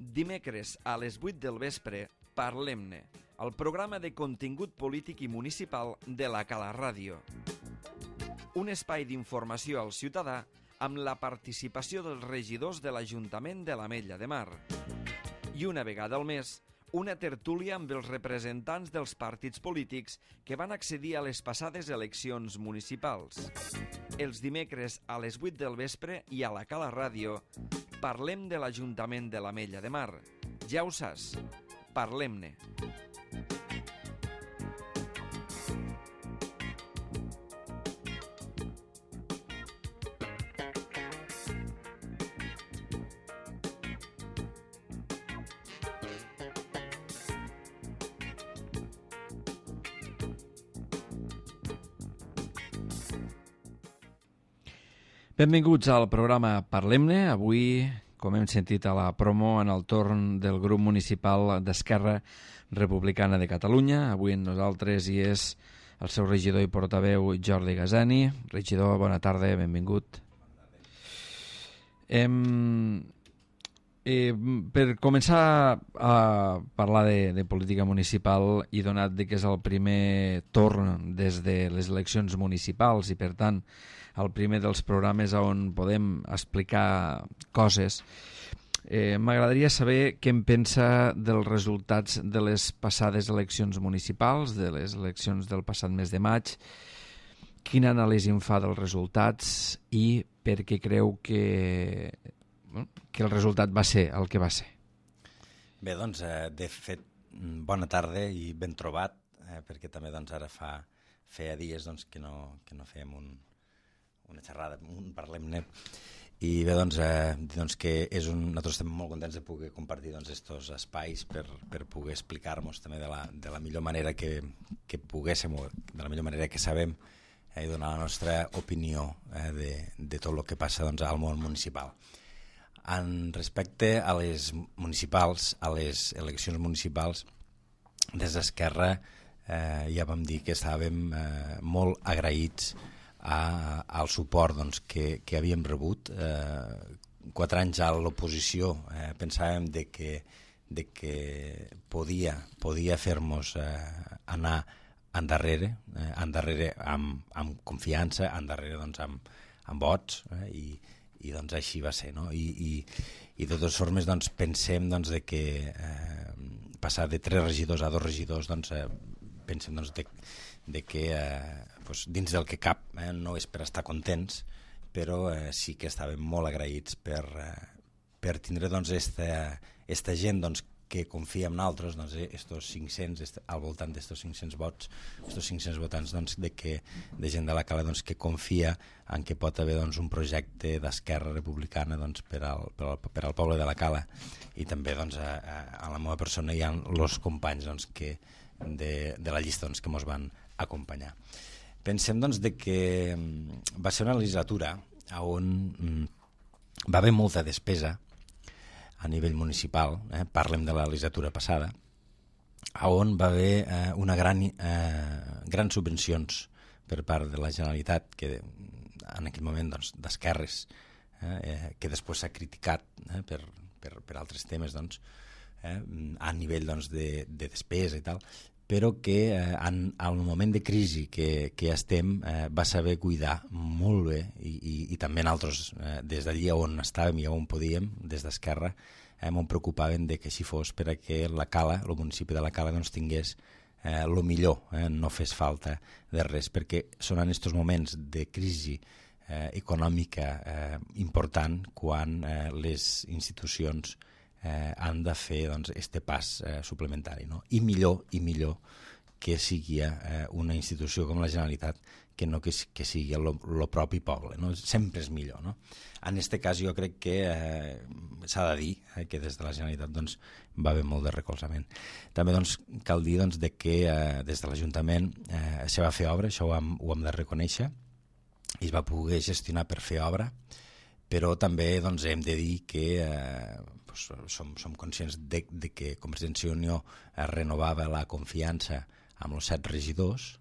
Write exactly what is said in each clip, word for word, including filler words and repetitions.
Dimecres a les vuit del vespre, Parlem-ne, el programa de contingut polític i municipal de la Cala Ràdio. Un espai d'informació al ciutadà amb la participació dels regidors de l'Ajuntament de l'Ametlla de Mar. I una vegada al mes, una tertúlia amb els representants dels partits polítics que van accedir a les passades eleccions municipals. Els dimecres a les vuit del vespre i a la Cala Ràdio parlem de l'Ajuntament de l'Ametlla de Mar. Ja ho saps, parlem-ne. Benvinguts al programa Parlem-ne. Avui, com hem sentit a la promo, en el torn del grup municipal d'Esquerra Republicana de Catalunya. Avui amb nosaltres hi és el seu regidor i portaveu Jordi Gasani. Regidor, bona tarda, benvingut. Em... Eh, per començar a parlar de, de política municipal i donat que és el primer torn des de les eleccions municipals i per tant el primer dels programes on podem explicar coses, eh, m'agradaria saber què en pensa dels resultats de les passades eleccions municipals, de les eleccions del passat mes de maig, quina anàlisi en fa dels resultats i per què creu que que el resultat va ser el que va ser. Bé, doncs, eh, de fet, bona tarda i ben trobat, eh, perquè també doncs, ara fa feia dies doncs, que, no, que no fèiem un, una xerrada, un parlem-ne, i bé, doncs, eh, doncs que és un, nosaltres estem molt contents de poder compartir doncs, estos espais per, per poder explicar-nos també de la, de la millor manera que, que poguéssim, de la millor manera que sabem, eh, i donar la nostra opinió eh, de, de tot el que passa doncs, al món municipal. En respecte a les municipals, a les eleccions municipals, des d'Esquerra eh, ja vam dir que estàvem eh, molt agraïts a, al suport doncs, que, que havíem rebut. Eh, quatre anys a l'oposició eh, pensàvem de que, de que podia, podia fer-nos eh, anar endarrere, eh, endarrere amb, amb confiança, endarrere doncs, amb, amb vots, eh, i i doncs així va ser, no? I, i, i de totes formes doncs, pensem doncs, de que eh, passar de tres regidors a dos regidors doncs, eh, pensem doncs, de, de que eh, doncs, dins del que cap eh, no és per estar contents, però eh, sí que estàvem molt agraïts per, eh, per tindre doncs, esta, esta gent doncs, que confia en nosaltres, doncs, eh, estos cinc-cents, est, al voltant d'estos cinc-cents vots, estos cinc-cents votants doncs, de, que, de gent de la Cala doncs, que confia en que pot haver doncs, un projecte d'Esquerra Republicana doncs, per, al, per, al, per al poble de la Cala, i també doncs, a, a, a la meva persona hi ha els companys doncs, que, de, de la llista doncs, que ens van acompanyar. Pensem doncs, de que va ser una legislatura on mm, va haver molta despesa a nivell municipal, eh, parlem de la legislatura passada, on va haver eh, una gran, eh, grans subvencions per part de la Generalitat, que en aquell moment doncs, d'esquerres, eh, que després s'ha criticat eh, per, per, per altres temes doncs, eh, a nivell doncs, de, de despesa i tal, però que eh, en, en el moment de crisi que, que estem eh, va saber cuidar molt bé i, i, i també nosaltres eh, des d'allí on estàvem i on podíem, des d'Esquerra, eh, m'ho preocupaven de que així fos per a que la Cala, el municipi de la Cala doncs, tingués eh, el millor, eh, no fes falta de res, perquè són en aquests moments de crisi eh, econòmica eh, important quan eh, les institucions Eh, han de fer doncs, este pas eh, suplementari, no? I millor i millor que sigui eh, una institució com la Generalitat que no que, que sigui el propi poble, no? Sempre és millor, no? En aquest cas jo crec que eh, s'ha de dir eh, que des de la Generalitat doncs, va haver molt de recolzament. També doncs, cal dir doncs, de que eh, des de l'Ajuntament eh, se va fer obra, això ho hem, ho hem de reconèixer, i es va poder gestionar per fer obra, però també doncs, hem de dir que eh, doncs, som, som conscients de, de que Convergència i Unió eh, renovava la confiança amb els set regidors,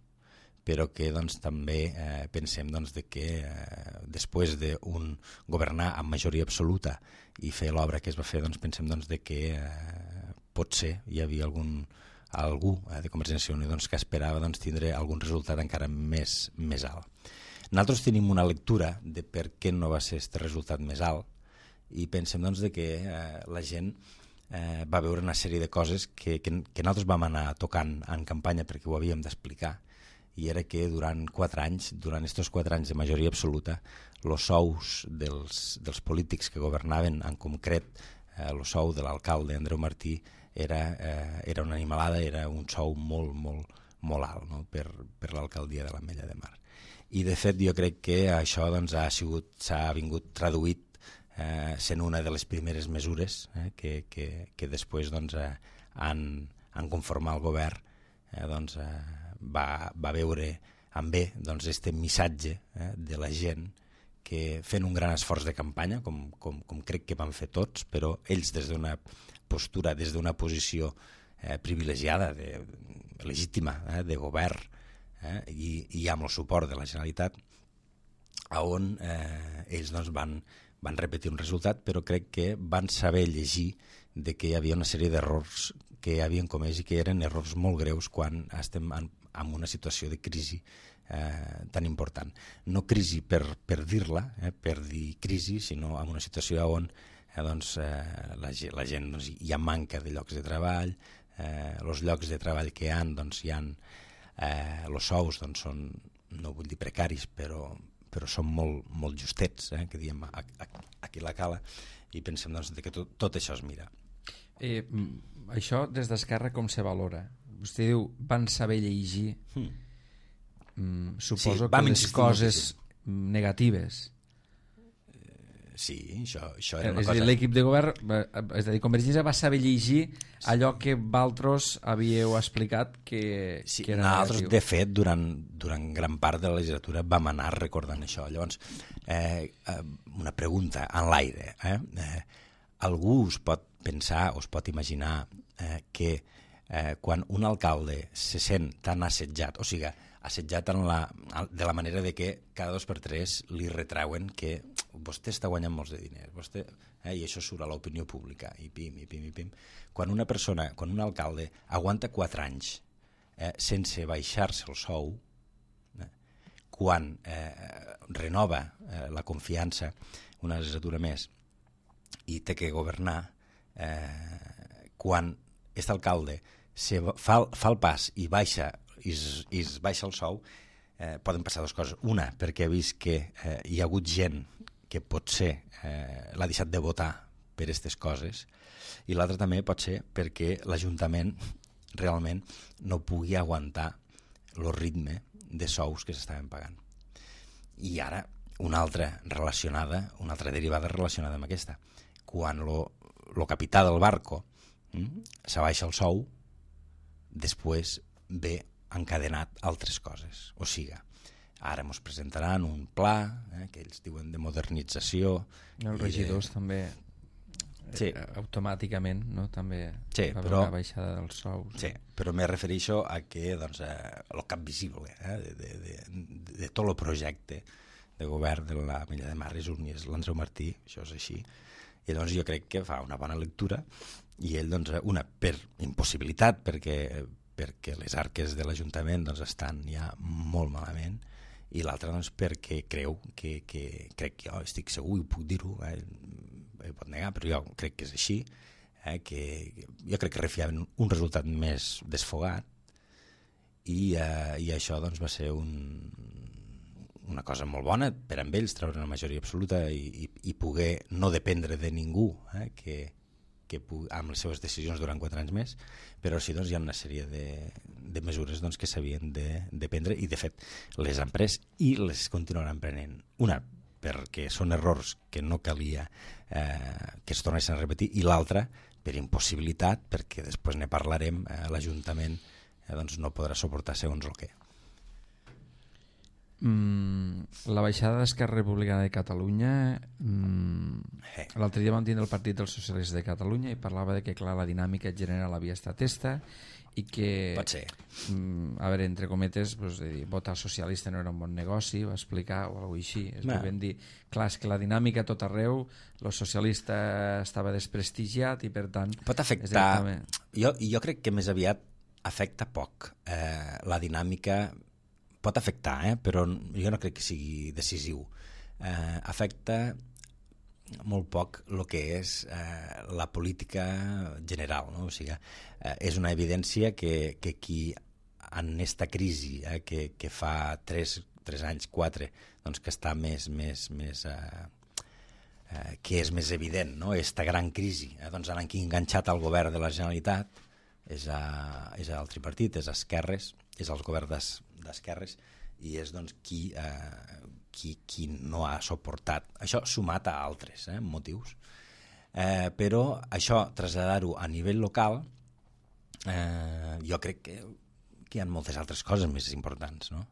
però que doncs, també eh, pensem doncs, de que eh, després d'un governar amb majoria absoluta i fer l'obra que es va fer, doncs, pensem doncs, de que eh, potser hi havia algun, algú eh, de Convergència i Unió doncs, que esperava doncs, tindre algun resultat encara més, més alt. Nosaltres tenim una lectura de per què no va ser aquest resultat més alt i pensem doncs, de que eh, la gent eh, va veure una sèrie de coses que, que, que nosaltres vam anar tocant en campanya perquè ho havíem d'explicar, i era que durant quatre anys, durant aquests quatre anys de majoria absoluta, els sous dels, dels polítics que governaven, en concret el eh, sou de l'alcalde Andreu Martí, era, eh, era una animalada, era un sou molt, molt, molt alt, no? per, per l'alcaldia de l'Ametlla de Mar. I de fet jo crec que això doncs, ha sigut, s'ha vingut traduït eh, sent una de les primeres mesures eh, que, que, que després doncs, eh, han, han conformat el govern, eh, doncs, eh, va, va veure amb bé doncs, este missatge eh, de la gent que fent un gran esforç de campanya, com, com, com crec que van fer tots, però ells des d'una postura, des d'una posició eh, privilegiada, de, legítima, eh, de govern, eh, i, i amb el suport de la Generalitat, on eh, ells doncs, van, van repetir un resultat, però crec que van saber llegir de que hi havia una sèrie d'errors que havien comès i que eren errors molt greus quan estem en, en una situació de crisi eh, tan important. No crisi per, per dir-la, eh, per dir crisi, sinó en una situació on eh, doncs, eh, la, la gent doncs, hi ha manca de llocs de treball, eh, els llocs de treball que hi ha, doncs, hi ha eh, els sous doncs, són, no vull dir precaris, però, però són molt, molt justets, eh, que diem a, a, aquí la cala, i pensem doncs, que tot, tot això es mira. Eh, això des d'Esquerra com se valora? Vostè diu, van saber llegir, hmm. mm, suposo sí, que les coses moltíssim. negatives. Sí, això, això era una és cosa... És a dir, l'equip de govern, és a dir, Convergència va saber llegir allò que vosaltres havíeu explicat que, sí, que era nosaltres, negatiu. De fet, durant, durant gran part de la legislatura vam anar recordant això. Llavors, eh, una pregunta en l'aire. Eh? Eh, algú us pot pensar o es pot imaginar eh, que eh, quan un alcalde se sent tan assetjat, o sigui, assetjat en la, de la manera de que cada dos per tres li retreuen que vostè està guanyant molts de diners, vostè, eh, i això surt a l'opinió pública, i pim, i pim, i pim. Quan una persona, quan un alcalde aguanta quatre anys eh, sense baixar-se el sou, eh, quan eh, renova eh, la confiança una legislatura més i té que governar, eh, quan aquest alcalde se fa, fa el pas i baixa i es, i es baixa el sou, eh, poden passar dues coses. Una, perquè ha vist que eh, hi ha hagut gent que potser eh, l'ha deixat de votar per aquestes coses, i l'altra també pot ser perquè l'Ajuntament realment no pugui aguantar el ritme de sous que s'estaven pagant. I ara, una altra relacionada, una altra derivada relacionada amb aquesta. Quan el capità del barco hm, s'abaixa el sou, després ve encadenat altres coses. O sigui, ara ens presentaran un pla, eh, que ells diuen de modernització. Els regidors de... també, sí. eh, automàticament, no? També sí, va però... una baixada dels sous. Sí, però me refereixo a que doncs, eh, el cap visible eh, de, de, de, de tot el projecte de govern de l'Ametlla de Mar és un, és l'Andreu Martí, això és així. I doncs jo crec que fa una bona lectura i ell, doncs, una, per impossibilitat, perquè, perquè les arques de l'Ajuntament doncs, estan ja molt malament, i l'altra doncs, perquè creu que, que crec que jo estic segur i puc dir-ho, eh, eh, pot negar, però jo crec que és així, eh, que jo crec que refiaven un resultat més desfogat, i, eh, i això doncs, va ser un, una cosa molt bona per a ells, treure una majoria absoluta i, i, i poder no dependre de ningú, eh, que, que pugui, amb les seves decisions durant quatre anys més, però sí doncs, hi ha una sèrie de, de mesures doncs, que s'havien de, de prendre, i de fet les han pres i les continuaran prenent. Una, perquè són errors que no calia eh, que es tornessin a repetir, i l'altra per impossibilitat, perquè després ne parlarem, eh, l'Ajuntament eh, doncs, no podrà suportar segons el que. Mm, la baixada d'Esquerra Republicana de Catalunya, mm, Eh. l'altre dia vam tindre el Partit dels Socialistes de Catalunya i parlava de que, clar, la dinàmica general havia estat esta i que, Pot ser. mm, a veure, entre cometes, pues, de dir, votar socialista no era un bon negoci, va explicar, o alguna cosa així. Es Va. vam dir, clar, és que la dinàmica a tot arreu, el socialista estava desprestigiat i, per tant... Pot és afectar... directament- Jo, jo crec que més aviat afecta poc. Eh, la dinàmica pot afectar, eh? Però jo no crec que sigui decisiu. Eh, afecta molt poc el que és eh, la política general, no? O sigui, eh, és una evidència que, que qui en esta crisi eh, que, que fa tres, tres anys, quatre, doncs que està més, més, més eh, eh, que és més evident, no? Esta gran crisi, eh? Doncs han enganxat el govern de la Generalitat, és, a, és al tripartit, és a Esquerres, és als governs d'Esquerres, i és doncs qui, eh, qui, qui no ha suportat. Això sumat a altres eh, motius. Eh, però això, traslladar-ho a nivell local, eh, jo crec que, que hi ha moltes altres coses més importants, no?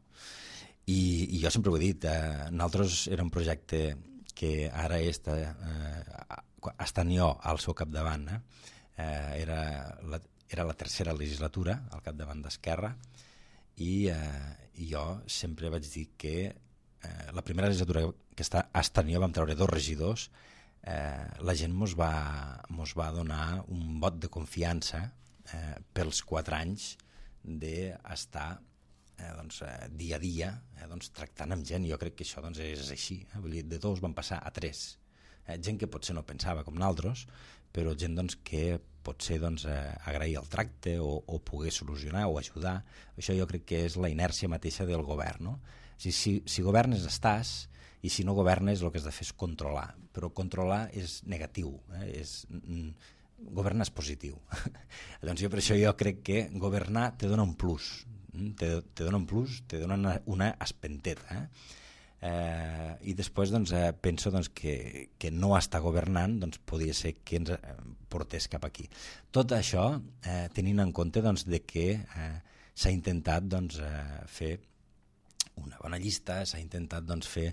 I, i jo sempre ho he dit, eh, nosaltres era un projecte que ara està, eh, estant jo al seu capdavant, eh, eh, era, la, era la tercera legislatura al capdavant d'Esquerra, i, eh, i jo sempre vaig dir que eh, la primera legislatura que està estant jo vam treure dos regidors, eh, la gent mos va, mos va donar un vot de confiança eh, pels quatre anys d'estar eh, doncs, eh, dia a dia eh, doncs, tractant amb gent. Jo crec que això doncs, és així. Eh? Vull dir, de dos van passar a tres. Eh, gent que potser no pensava com nosaltres, però gent doncs, que potser doncs, eh, agrair el tracte o, o poder solucionar o ajudar. Això jo crec que és la inèrcia mateixa del govern. No? Si, si, si governes estàs, i si no governes el que has de fer és controlar, però controlar és negatiu, eh? és, mm, governar és positiu. Doncs jo per això jo crec que governar te dona un plus, te, te dona un plus, te dona una, una espenteta, eh? Eh, i després doncs, eh, penso doncs, que, que no estar governant doncs, podria ser que ens eh, portés cap aquí. Tot això eh, tenint en compte doncs, de que eh, s'ha intentat doncs, eh, fer una bona llista, s'ha intentat doncs, fer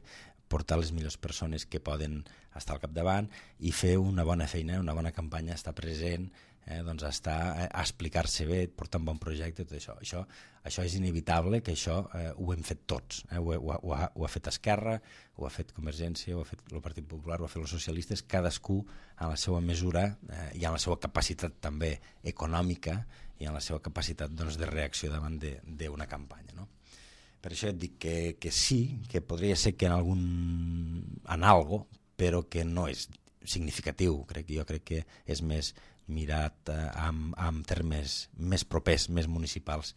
portar les millors persones que poden estar al capdavant i fer una bona feina, una bona campanya, estar present, eh, doncs estar a explicar-se bé, portar un bon projecte, tot això. Això, això és inevitable, que això eh, ho hem fet tots. Eh? Ho, ho, ho, ha, ho ha fet Esquerra, ho ha fet Convergència, ho ha fet el Partit Popular, ho ha fet els socialistes, cadascú en la seva mesura eh, i en la seva capacitat també econòmica i en la seva capacitat doncs, de reacció davant d'una campanya. No? Per això et dic que, que sí, que podria ser que en algun en algo, però que no és significatiu. Crec, jo crec que és més mirat eh, amb, amb termes més propers, més municipals,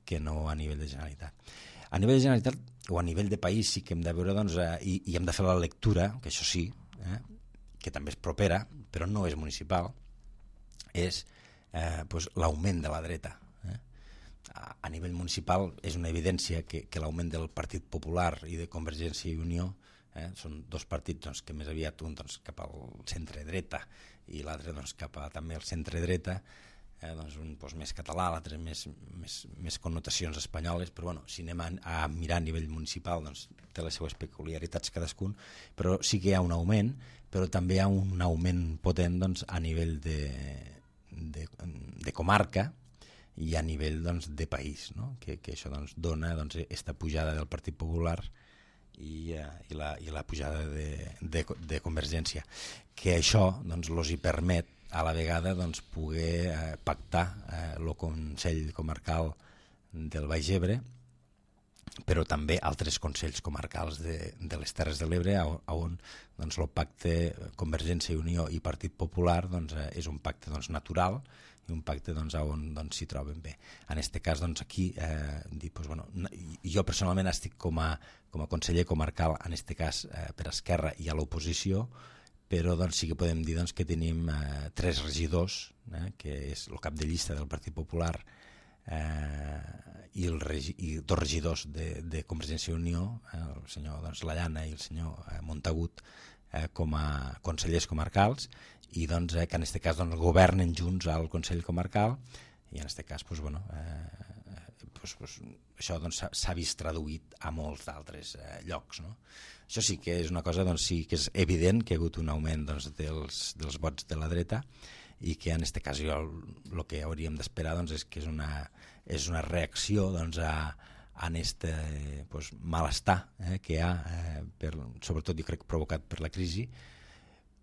que no a nivell de Generalitat. A nivell de Generalitat o a nivell de país sí que hem de veure doncs, eh, i, i hem de fer la lectura, que això sí, eh, que també és propera, però no és municipal, és eh, pues, l'augment de la dreta. A nivell municipal és una evidència que, que l'augment del Partit Popular i de Convergència i Unió eh, són dos partits doncs, que més aviat un doncs, cap al centre-dreta i l'altre doncs, cap a també al centre-dreta, eh, doncs, un doncs, més català, l'altre més, més, més connotacions espanyoles, però bueno, si anem a, a mirar a nivell municipal doncs, té les seues peculiaritats cadascun, però sí que hi ha un augment, però també hi ha un augment potent doncs, a nivell de, de, de comarca i a nivell doncs, de país, no? que, que això doncs, dona doncs, esta pujada del Partit Popular i, uh, i, la, i la pujada de, de, de Convergència, que això doncs, los hi permet a la vegada doncs, poder uh, pactar el uh, Consell Comarcal del Baix Ebre, però també altres consells comarcals de, de les Terres de l'Ebre, on doncs, el pacte Convergència i Unió i Partit Popular doncs, uh, és un pacte doncs, natural, i un pacte doncs, on doncs, s'hi troben bé. En aquest cas, doncs, aquí, eh, dir, doncs, bueno, jo personalment estic com a, com a conseller comarcal, en aquest cas eh, per Esquerra i a l'oposició, però doncs, sí que podem dir doncs, que tenim eh, tres regidors, eh, que és el cap de llista del Partit Popular eh, i, el regi i dos regidors de, de Convergència i Unió, eh, el senyor doncs, Lallana i el senyor eh, Montagut, eh, com a consellers comarcals, i doncs, eh, que en aquest cas doncs, governen junts al Consell Comarcal i en aquest cas doncs, bueno, eh, doncs, doncs, això doncs, s'ha vist traduït a molts d'altres eh, llocs. No? Això sí que és una cosa, doncs, sí que és evident que hi ha hagut un augment doncs, dels, dels vots de la dreta i que en aquest cas jo el, el que hauríem d'esperar doncs, és que és una, és una reacció doncs, a en este pues, malestar eh, que hi ha, eh, per, sobretot jo crec provocat per la crisi,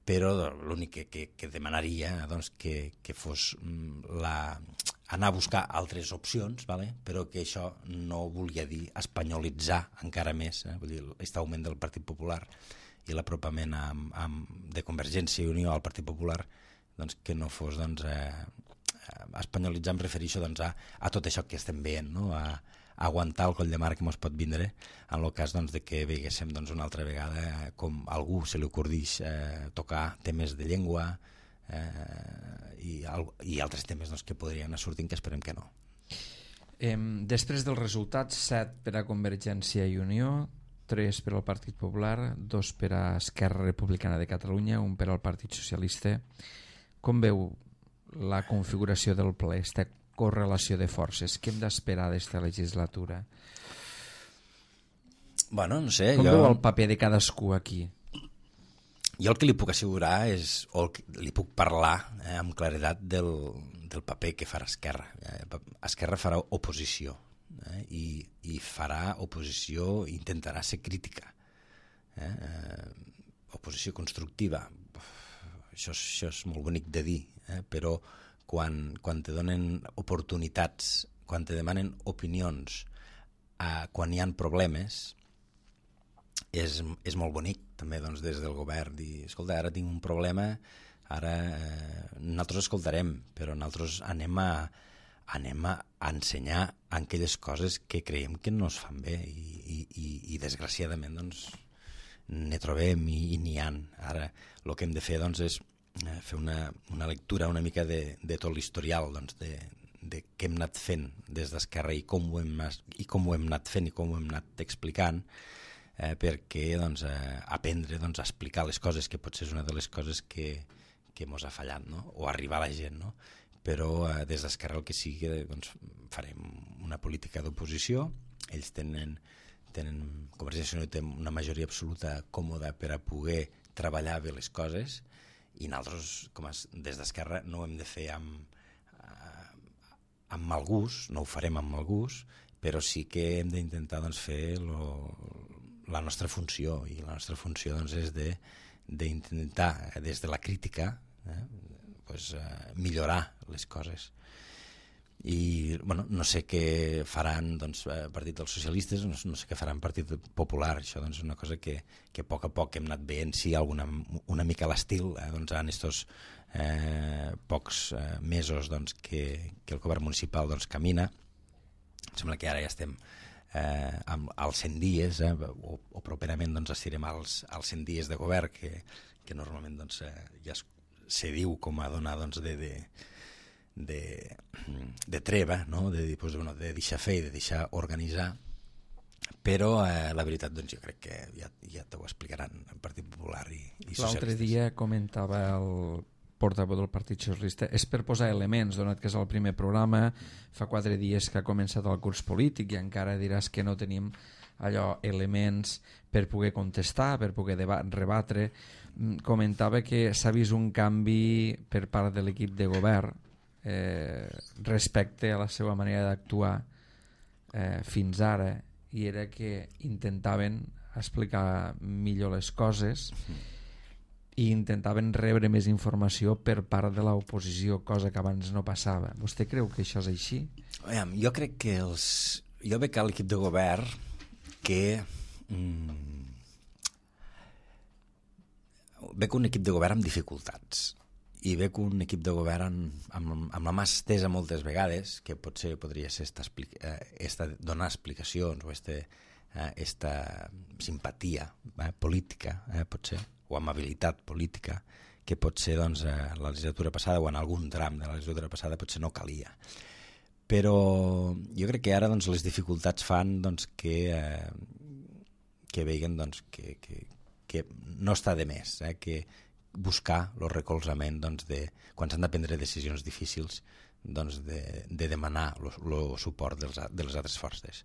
però l'únic que, que, que demanaria doncs, que, que fos la, anar a buscar altres opcions, vale? Però que això no volia dir espanyolitzar encara més, eh? Vull dir, aquest augment del Partit Popular i l'apropament amb, amb, de Convergència i Unió al Partit Popular, doncs, que no fos doncs, eh, espanyolitzar, em refereixo doncs, a, a tot això que estem veient, no? a aguantar el coll de mar que ens pot vindre en el cas doncs, de que veguéssim doncs, una altra vegada com a algú se li ocordix eh, tocar temes de llengua eh, i, i altres temes doncs, que podrien anar sortint, que esperem que no. Eh, després dels resultats, set per a Convergència i Unió, tres per al Partit Popular, dos per a Esquerra Republicana de Catalunya, un per al Partit Socialista. Com veu la configuració del ple, aquesta correlació de forces? Què hem d'esperar d'esta legislatura? Bueno, no sé. Com jo... veu el paper de cadascú aquí? Jo el que li puc assegurar és, o li puc parlar eh, amb claredat del, del paper que farà Esquerra. Eh, Esquerra farà oposició eh, i, i farà oposició, intentarà ser crítica. Eh, eh, oposició constructiva. Això, això és molt bonic de dir, eh, però quan, quan te donen oportunitats, quan te demanen opinions, eh, quan hi ha problemes, és, és molt bonic també doncs, des del govern dir, escolta, ara tinc un problema, ara eh, nosaltres escoltarem, però nosaltres anem a, anem a ensenyar aquelles coses que creiem que no es fan bé i, i, i, i desgraciadament doncs, ne trobem i, i n'hi ha. Ara el que hem de fer doncs, és fer una, una lectura una mica de, de tot l'historial doncs, de, de què hem anat fent des d'Esquerra i com ho hem, i com ho hem anat fent i com ho hem anat explicant, eh, perquè doncs, eh, aprendre doncs, a explicar les coses, que potser és una de les coses que, que mos ha fallat, no? O arribar a la gent, no? Però eh, des d'Esquerra el que sigui doncs, farem una política d'oposició. Ells tenen, tenen Convergència i Unió té una majoria absoluta còmoda per a poder treballar bé les coses, i nosaltres, com a, des d'Esquerra, no ho hem de fer amb, amb mal gust, no ho farem amb mal gust, però sí que hem d'intentar doncs, fer lo, la nostra funció, i la nostra funció doncs, és de, d'intentar, des de la crítica, eh, pues, eh, millorar les coses. I bueno, no sé què faran doncs, el Partit dels Socialistes, no, no sé què faran el Partit Popular. Això doncs, és una cosa que, que a poc a poc hem anat veient, sí, alguna, una mica a l'estil eh, doncs, en estos eh, pocs eh, mesos doncs, que, que el govern municipal doncs, camina. Em sembla que ara ja estem eh, amb, als cent dies, eh, o, o properament doncs, estirem als, als cent dies de govern, que, que normalment doncs, eh, ja es, se diu com a donar doncs, de... de De, de treva, no? de, pues, bueno, de deixar fer i de deixar organitzar, però eh, la veritat doncs, jo crec que ja, ja t'ho explicaran el Partit Popular i, i Socialistes. L'altre dia comentava el portaveu del Partit Socialista, és per posar elements, donat que és el primer programa, fa quatre dies que ha començat el curs polític i encara diràs que no tenim allò, elements per poder contestar, per poder rebatre. Comentava que s'ha vist un canvi per part de l'equip de govern Eh, respecte a la seva manera d'actuar eh, fins ara, i era que intentaven explicar millor les coses i intentaven rebre més informació per part de l'oposició, cosa que abans no passava. Vostè creu que això és així? Jo crec que els... jo veig a l'equip de govern que mm, veig un equip de govern amb dificultats, i veig un equip de govern amb, amb la mà estesa moltes vegades, que potser podria ser esta, eh, esta, donar explicacions o esta, eh, esta simpatia eh, política, eh, potser, o amabilitat política, que potser doncs, eh, la legislatura passada o en algun tram de la legislatura passada potser no calia. Però jo crec que ara doncs, les dificultats fan doncs, que, eh, que veguen doncs, que, que, que no està de més, eh, que buscar el recolzament doncs, de, quan s'han de prendre decisions difícils doncs de, de demanar el suport dels, de les altres forces.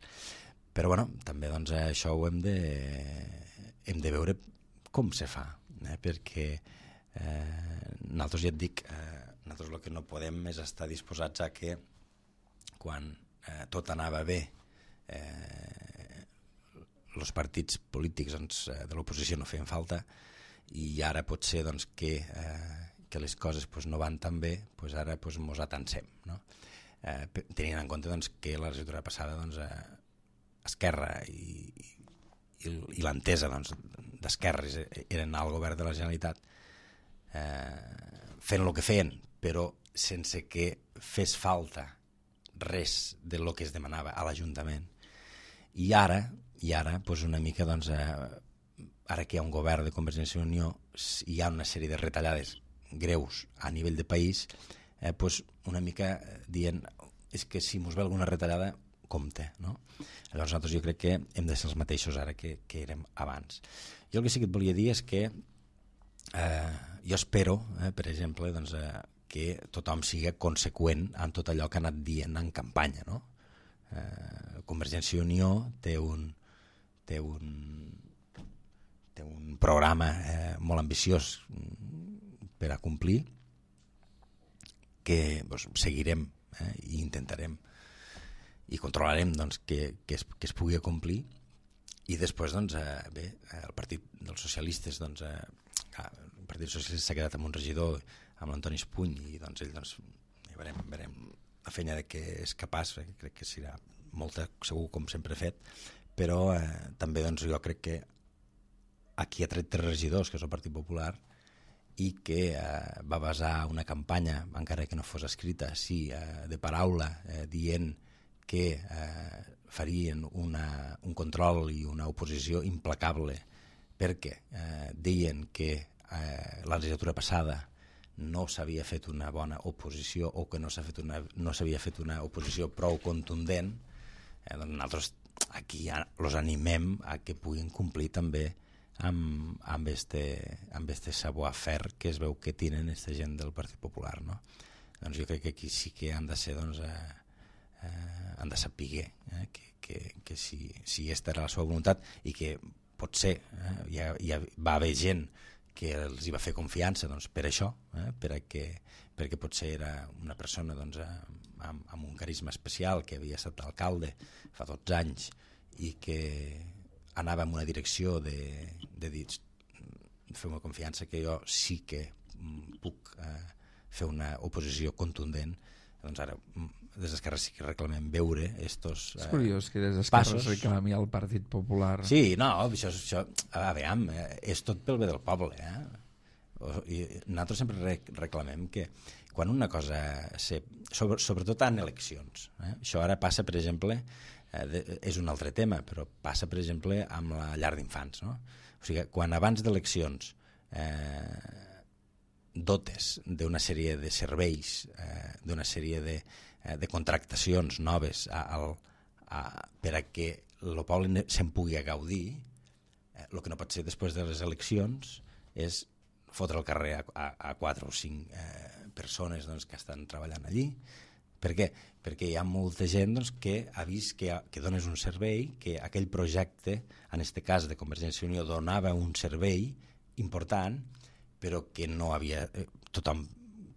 Però bueno, també doncs, això ho hem de, hem de veure com se fa, eh? Perquè eh, nosaltres ja et dic, eh, nosaltres el que no podem és estar disposats a que quan eh, tot anava bé eh, els partits polítics doncs, de l'oposició no feien falta i ara pot ser doncs, que, eh, que les coses pues, no van tan bé, pues ara pues, mos atansem, no? Eh, tenint en compte doncs, que la legislatura passada doncs, eh, Esquerra i, i, i l'entesa doncs, d'Esquerra eren al govern de la Generalitat eh, fent el que feien, però sense que fes falta res de lo que es demanava a l'Ajuntament. I ara, i ara pues una mica, doncs, eh, ara que hi ha un govern de Convergència i Unió, hi ha una sèrie de retallades greus a nivell de país, eh, pues una mica dient és que si mos ve alguna retallada compte, no? Llavors nosaltres jo crec que hem de ser els mateixos ara que, que érem abans. Jo el que sí que et volia dir és que eh, jo espero, eh, per exemple, doncs, eh, que tothom sigui conseqüent en tot allò que ha anat dient en campanya, no? Eh, Convergència i Unió té un té un té un programa eh, molt ambiciós per a complir que doncs, seguirem eh, i intentarem i controlarem doncs, que, que, es, que es pugui complir i després doncs, eh, bé, el partit dels socialistes doncs, eh, el partit socialista s'ha quedat amb un regidor amb l'Antoni Espuny i doncs, ell doncs, ja veurem, veurem la feina de què és capaç, eh, crec que serà molta, segur com sempre he fet, però eh, també doncs, jo crec que aquí ha tret tres regidors que és el Partit Popular i que eh, va basar una campanya, encara que no fos escrita, sí, eh, de paraula, eh, dient que eh, farien una, un control i una oposició implacable perquè eh, deien que eh, la legislatura passada no s'havia fet una bona oposició o que no s'ha fet una, no s'havia fet una oposició prou contundent, eh, doncs nosaltres aquí ja els animem a que puguin complir també amb, amb, este, amb este savoir-faire que es veu que tenen aquesta gent del Partit Popular, no? Doncs jo crec que aquí sí que han de ser doncs, eh, eh, han de saber eh, que, que, que si, si aquesta era la seva voluntat i que potser eh, ja, ja va haver gent que els hi va fer confiança doncs, per això, eh, per a que, perquè potser era una persona doncs, amb, amb un carisma especial que havia estat alcalde fa dotze anys i que anava en una direcció de, de dir fer-me confiança que jo sí que puc eh, fer una oposició contundent, doncs ara des d'Esquerra sí que reclamem veure estos eh, és curiós que des d'Esquerra passos. reclami el Partit Popular. Sí, no, això, això a veure, és tot pel bé del poble, eh? I nosaltres sempre reclamem que quan una cosa se, sobre, sobretot en eleccions, eh? Això ara passa, per exemple, eh, de, és un altre tema, però passa, per exemple, amb la llar d'infants, no? O sigui, quan abans d'eleccions eh, dotes d'una sèrie de serveis, eh, d'una sèrie de, eh, de contractacions noves a, a, a, per a que el poble se'n pugui gaudir, eh, el que no pot ser després de les eleccions és fotre al carrer a, a, a quatre o cinc eh, persones doncs, que estan treballant allí. Per què? Perquè hi ha molta gent doncs, que ha vist que, que dones un servei, que aquell projecte, en aquest cas de Convergència i Unió, donava un servei important, però que no havia... Eh, tothom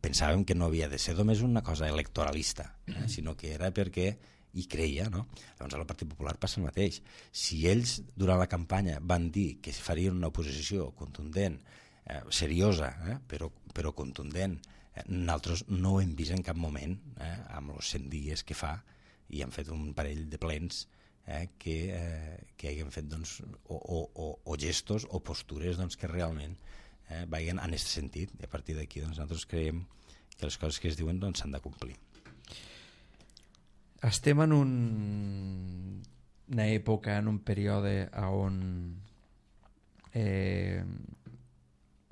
pensàvem que no havia de ser només una cosa electoralista, eh, sinó que era perquè hi creia, no? Llavors al Partit Popular passa el mateix. Si ells durant la campanya van dir que farien una oposició contundent, eh, seriosa, eh, però, però contundent, eh, nosaltres no ho hem vist en cap moment, eh, amb els cent dies que fa, i hem fet un parell de plens eh, que, eh, que haguem fet doncs, o, o, o, o gestos o postures doncs, que realment eh, vagin en aquest sentit, i a partir d'aquí doncs, nosaltres creiem que les coses que es diuen doncs, s'han de complir. Estem en un, una època, en un període on eh,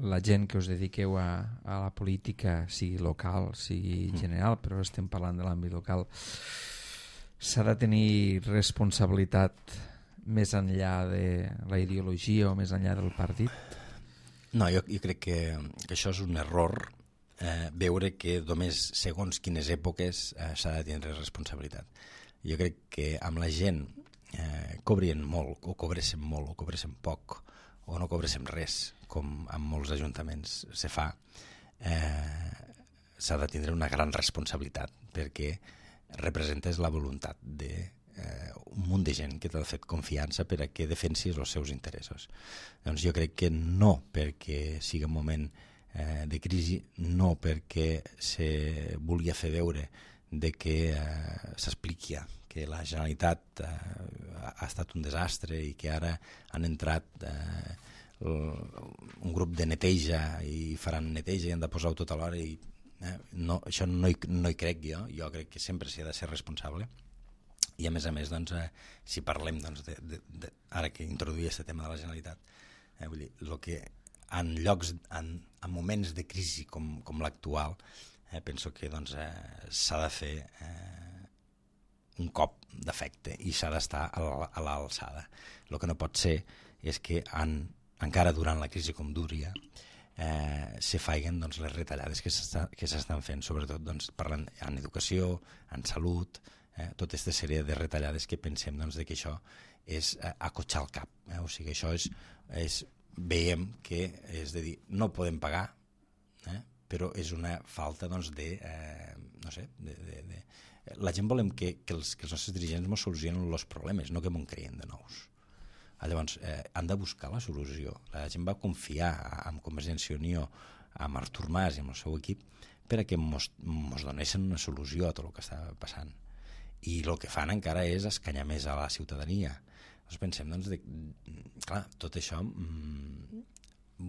la gent que us dediqueu a, a la política, sigui local, sigui general, però estem parlant de l'àmbit local, s'ha de tenir responsabilitat més enllà de la ideologia o més enllà del partit? No, jo, jo crec que, que això és un error eh, veure que només segons quines èpoques eh, s'ha de tindre responsabilitat. Jo crec que amb la gent eh, cobrien molt, o cobréssim molt, o cobréssim poc, o no cobréssim res, com en molts ajuntaments se fa, eh, s'ha de tindre una gran responsabilitat, perquè representes la voluntat de eh, un munt de gent que t'ha fet confiança per a que defensis els seus interessos. Doncs jo crec que no perquè sigui un moment eh, de crisi, no perquè se volia fer veure de que eh, s'expliqui que la Generalitat eh, ha estat un desastre i que ara han entrat eh, un grup de neteja i faran neteja i han de posar-ho tot alhora i eh, no, això no hi, no hi crec jo, jo crec que sempre s'hi ha de ser responsable. I a més a més, doncs, eh, si parlem doncs, de, de, de, ara que introduïa aquest tema de la Generalitat, eh, vull dir, lo que en llocs, en, en moments de crisi com, com l'actual, eh, penso que doncs, eh, s'ha de fer eh, un cop d'efecte i s'ha d'estar a l'alçada. El que no pot ser és que en, encara durant la crisi com duria eh, se faiguen doncs, les retallades que s'estan fent, sobretot doncs, parlant en educació, en salut, Eh, tota aquesta sèrie de retallades que pensem doncs, de que això és eh, acotxar el cap. Eh? O sigui, això és, és, veiem que és de dir, no podem pagar, eh? però és una falta doncs, de, eh, no sé, de, de, de... la gent volem que, que, els, que els nostres dirigents ens solucionen els problemes, no que m'ho creïn de nous. Llavors, eh, han de buscar la solució. La gent va confiar en Convergència i Unió, amb Artur Mas i amb el seu equip, per a que ens donessin una solució a tot el que estava passant. I el que fan encara és escanyar més a la ciutadania. Llavors pensem, doncs, de, clar, tot això mmm,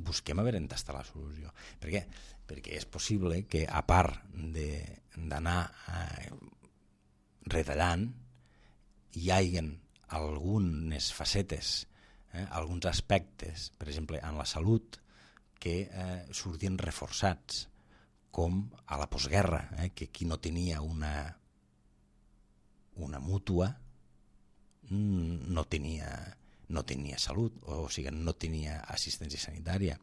busquem a veure on està la solució. Per què? Perquè és possible que, a part d'anar eh, retallant, hi hagin algunes facetes, eh, alguns aspectes, per exemple, en la salut, que eh, surtin reforçats, com a la postguerra, eh, que qui no tenia una una mútua no tenia, no tenia salut, o sigui, no tenia assistència sanitària.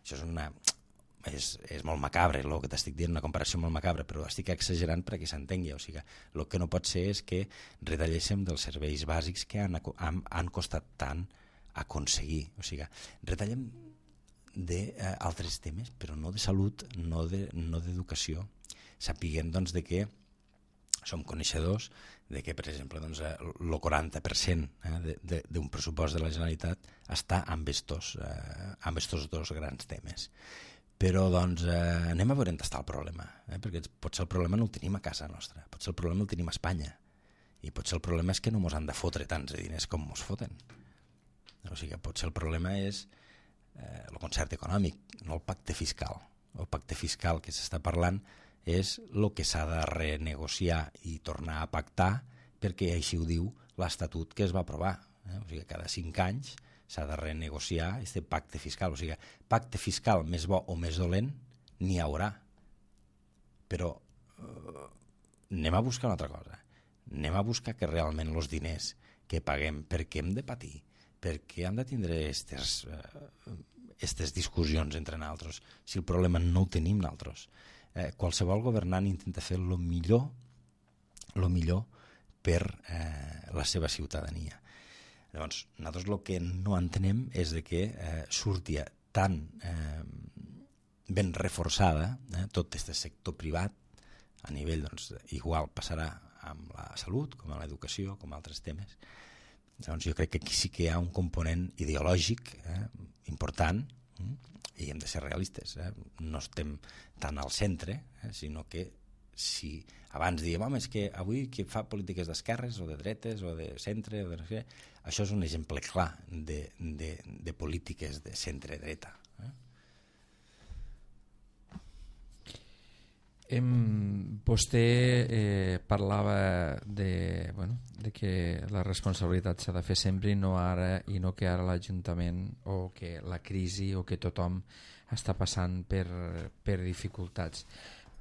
Això és, una, és, és molt macabre, el que t'estic dient, una comparació molt macabra, però estic exagerant perquè s'entengui. O sigui, el que no pot ser és que retalléssim dels serveis bàsics que han, han, han costat tant aconseguir. O sigui, retallem d'altres eh, temes, però no de salut, no d'educació. De, no Sapiguem, doncs, de que som coneixedors de que, per exemple, doncs, el quaranta per cent eh, d'un pressupost de la Generalitat està amb estos, eh, amb estos dos grans temes. Però doncs, eh, anem a veure on està el problema, eh, perquè potser el problema no el tenim a casa nostra, potser el problema el tenim a Espanya, i potser el problema és que no ens han de fotre tants diners com ens foten. O sigui, potser el problema és eh, el concert econòmic, no el pacte fiscal. El pacte fiscal que s'està parlant és el que s'ha de renegociar i tornar a pactar, perquè així ho diu l'Estatut que es va aprovar. Eh? O sigui, cada cinc anys s'ha de renegociar aquest pacte fiscal. O sigui, pacte fiscal més bo o més dolent n'hi haurà. Però eh, anem a buscar una altra cosa. Anem a buscar que realment els diners que paguem, per què hem de patir? Per què hem de tindre aquestes eh, discussions entre nosaltres si el problema no el tenim nosaltres? Eh, qualsevol governant intenta fer el millor, el millor per eh, la seva ciutadania. Llavors, nosaltres el que no entenem és de que eh, surti tan eh, ben reforçada eh, tot aquest sector privat a nivell, doncs, igual passarà amb la salut, com amb l'educació, com altres temes. Llavors, jo crec que aquí sí que hi ha un component ideològic eh, important, eh, i hem de ser realistes, eh? No estem tan al centre, eh? Sinó que si abans diem, home, és que avui qui fa polítiques d'esquerres o de dretes o de centre, o de no sé, això és un exemple clar de, de, de polítiques de centre-dreta. Eh? Em, vostè eh, parlava de, bueno, de que la responsabilitat s'ha de fer sempre i no ara, i no que ara l'Ajuntament o que la crisi o que tothom està passant per, per dificultats.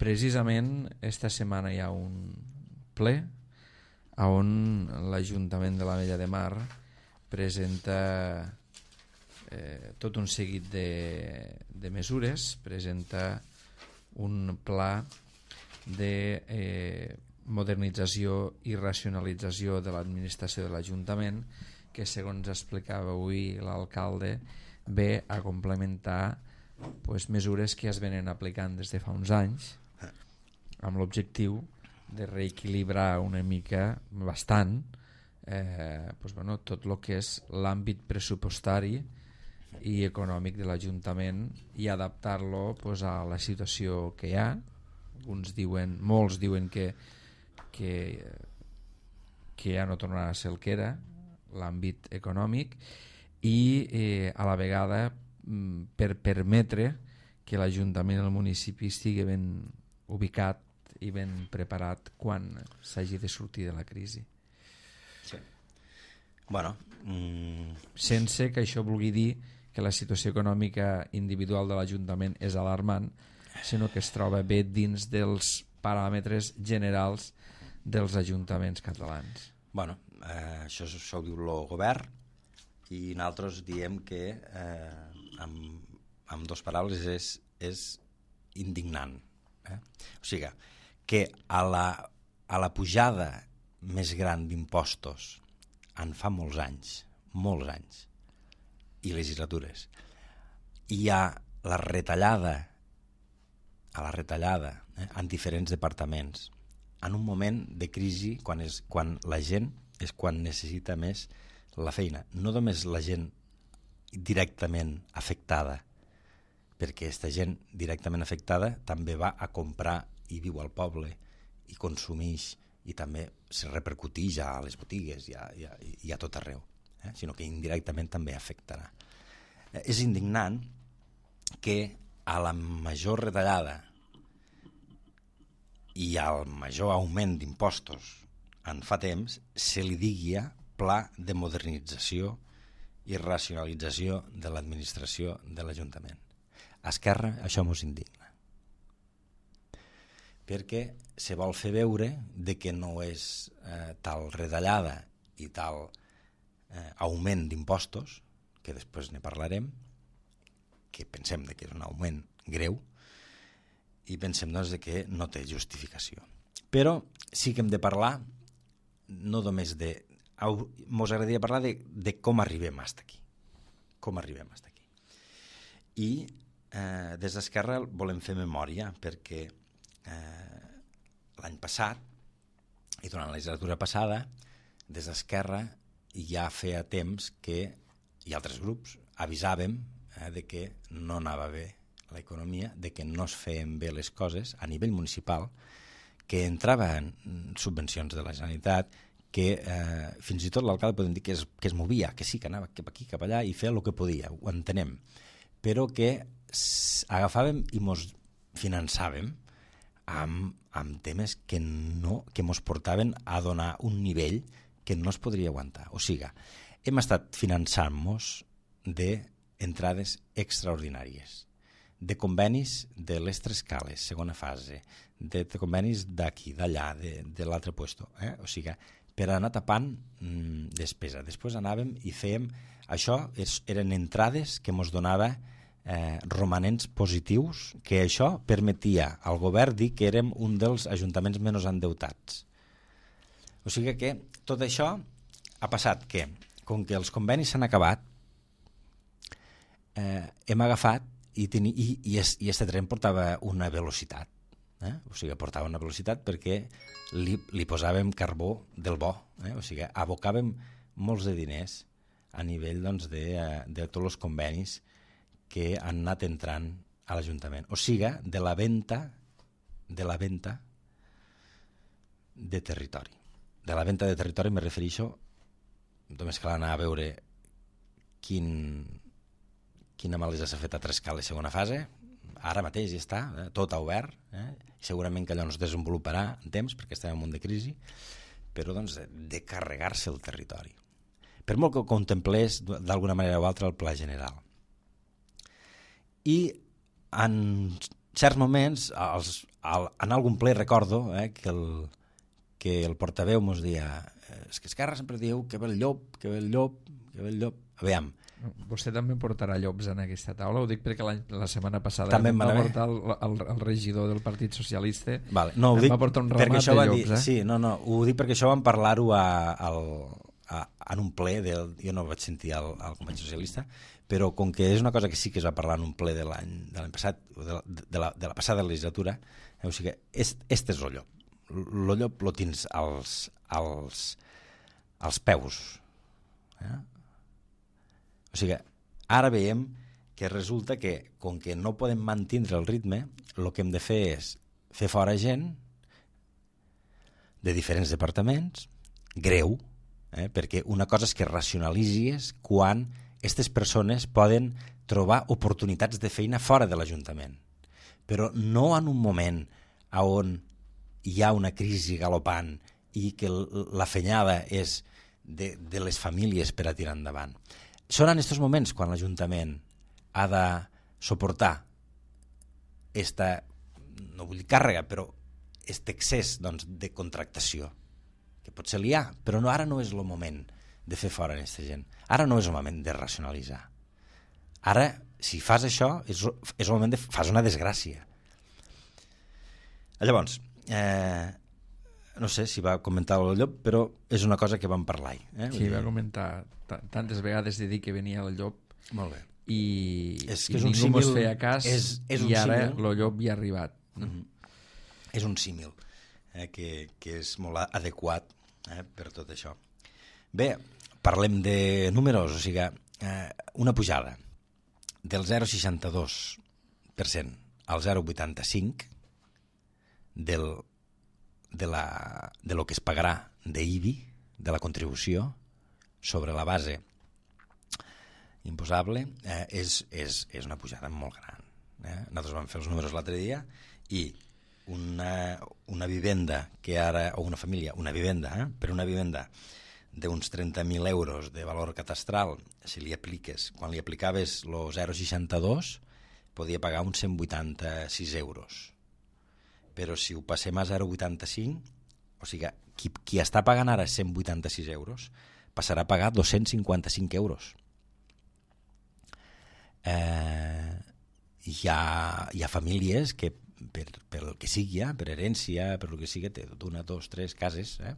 Precisament esta setmana hi ha un ple on l'Ajuntament de l'Ametlla de Mar presenta eh, tot un seguit de, de mesures, presenta un pla de eh, modernització i racionalització de l'administració de l'Ajuntament que, segons explicava avui l'alcalde, ve a complementar pues, mesures que es venen aplicant des de fa uns anys amb l'objectiu de reequilibrar una mica, bastant, eh, pues, bueno, tot el que és l'àmbit pressupostari i econòmic de l'Ajuntament i adaptar-lo pues, a la situació que hi ha. Uns diuen, molts diuen que, que, que ja no tornarà a ser el que era l'àmbit econòmic i eh, a la vegada per permetre que l'Ajuntament i el municipi estigui ben ubicat i ben preparat quan s'hagi de sortir de la crisi. Sí. Bueno, mm... sense que això vulgui dir que la situació econòmica individual de l'Ajuntament és alarmant, sinó que es troba bé dins dels paràmetres generals dels ajuntaments catalans. Bueno, eh, això, això ho diu el govern i nosaltres diem que eh, amb, amb dos paraules és, és indignant. Eh? O sigui, que a la, a la pujada més gran d'impostos en fa molts anys, molts anys, i legislatures, hi ha la retallada a la retallada eh, en diferents departaments en un moment de crisi quan, és, quan la gent és quan necessita més la feina, no només la gent directament afectada, perquè aquesta gent directament afectada també va a comprar i viu al poble i consumeix i també se repercuteix a les botigues i a, i a, i a tot arreu, eh? Sinó que indirectament també afectarà. Eh, és indignant que a la major retallada i al major augment d'impostos en fa temps se li digui pla de modernització i racionalització de l'administració de l'Ajuntament. A Esquerra això mos indigna, perquè se vol fer veure de que no és eh, tal retallada i tal eh, augment d'impostos, que després ne parlarem, que pensem de que és un augment greu, i pensem doncs, de que no té justificació. Però sí que hem de parlar no només de... Mos agradaria parlar de, de com arribem fins aquí. Com arribem fins aquí. I eh, des d'Esquerra volem fer memòria perquè eh, l'any passat i durant la legislatura passada des d'Esquerra ja feia temps que i altres grups avisàvem eh, de que no anava bé l'economia, de que no es feien bé les coses a nivell municipal, que entraven subvencions de la Generalitat, que eh, fins i tot l'alcalde podem dir que es, que es movia, que sí, que anava cap aquí, cap allà i feia el que podia, ho entenem, però que agafàvem i mos finançàvem amb, amb temes que, no, que mos portaven a donar un nivell que no es podria aguantar. O sigui, hem estat finançant-nos d'entrades extraordinàries, de convenis de les tres cales, segona fase, de, de convenis d'aquí, d'allà, de, de l'altre puesto. Eh? O sigui, per anar tapant mmm, despesa. Després anàvem i fèiem... Això és, eren entrades que ens donava eh, romanents positius, que això permetia al govern dir que érem un dels ajuntaments menys endeutats. O sigui que tot això ha passat que, com que els convenis s'han acabat, eh, hem agafat i, teni, i, i, es, i este tren portava una velocitat. Eh? O sigui, portava una velocitat perquè li, li posàvem carbó del bo. Eh? O sigui, abocàvem molts de diners a nivell doncs, de, de tots els convenis que han anat entrant a l'Ajuntament. O sigui, de la venda de la venda de territori. De la venda de territori me refereixo, només cal anar a veure quin... quina malesa s'ha fet a Trescales segona fase, ara mateix ja està, eh, tot ha obert, eh? Segurament que allò no es desenvoluparà en temps perquè estem en un munt de crisi, però doncs, de, de carregar-se el territori. Per molt que ho contemplés d'alguna manera o altra el pla general. I en certs moments, els, el, en algun ple recordo eh, que, el, que el portaveu mos deia és que Esquerra sempre diu que ve el llop, que ve el llop, que ve el llop. Aviam, Vostè també portarà llops en aquesta taula? Ho dic perquè la, la setmana passada també va va portar el, el, el regidor del Partit Socialista, vale. No, ho em dic va portar un perquè ramat això de va llops. dir, Eh? sí, no, no, ho dic perquè això vam parlar-ho a, al, a, en un ple, del, jo no vaig sentir al, al company socialista, però com que és una cosa que sí que es va parlar en un ple de l'any de l'any passat, de la, de, la, de la passada legislatura, eh, o sigui que est, este és el llop. El llop lo tens als, als, als peus. Eh? O sigui que ara veiem que resulta que, com que no podem mantenir el ritme, el que hem de fer és fer fora gent de diferents departaments, greu, eh? perquè una cosa és que racionalitzis quan aquestes persones poden trobar oportunitats de feina fora de l'Ajuntament, però no en un moment on hi ha una crisi galopant i que la fenyada és de, de les famílies per a tirar endavant. Són en aquests moments quan l'Ajuntament ha de suportar esta, no vull dir càrrega, però aquest excés doncs, de contractació, que potser li ha, però no, ara no és el moment de fer fora aquesta gent. Ara no és el moment de racionalitzar. Ara, si fas això, és, és el moment de fas una desgràcia. Llavors, eh, no sé si va comentar el llop, però és una cosa que vam parlar. Eh? Sí, va comentar tantes vegades de dir que venia el llop. Molt bé. I, és que i és un ningú símil, mos feia cas és, és i ara símil. el llop hi ha arribat. Mm-hmm. És un símil eh, que, que és molt adequat eh, per tot això. Bé, parlem de números, o sigui, eh, una pujada del zero coma seixanta-dos per cent al zero coma vuitanta-cinc del, de, la, de lo que es pagarà d'I B I, de la contribució sobre la base imposable, eh, és, és, és una pujada molt gran. Eh? Nosaltres vam fer els números l'altre dia i una, una vivenda que ara, o una família, una vivenda, eh? per una vivenda d'uns trenta mil euros de valor catastral, si li apliques, quan li aplicaves el zero coma seixanta-dos, podia pagar uns cent vuitanta-sis euros. Però si ho passem a zero coma vuitanta-cinc, o sigui, qui, qui està pagant ara cent vuitanta-sis euros, passarà a pagar dos-cents cinquanta-cinc euros. Eh, hi, ha, hi ha famílies que per, per el que sigui, per herència, per el que sigui, té d'una, dos, tres cases, eh?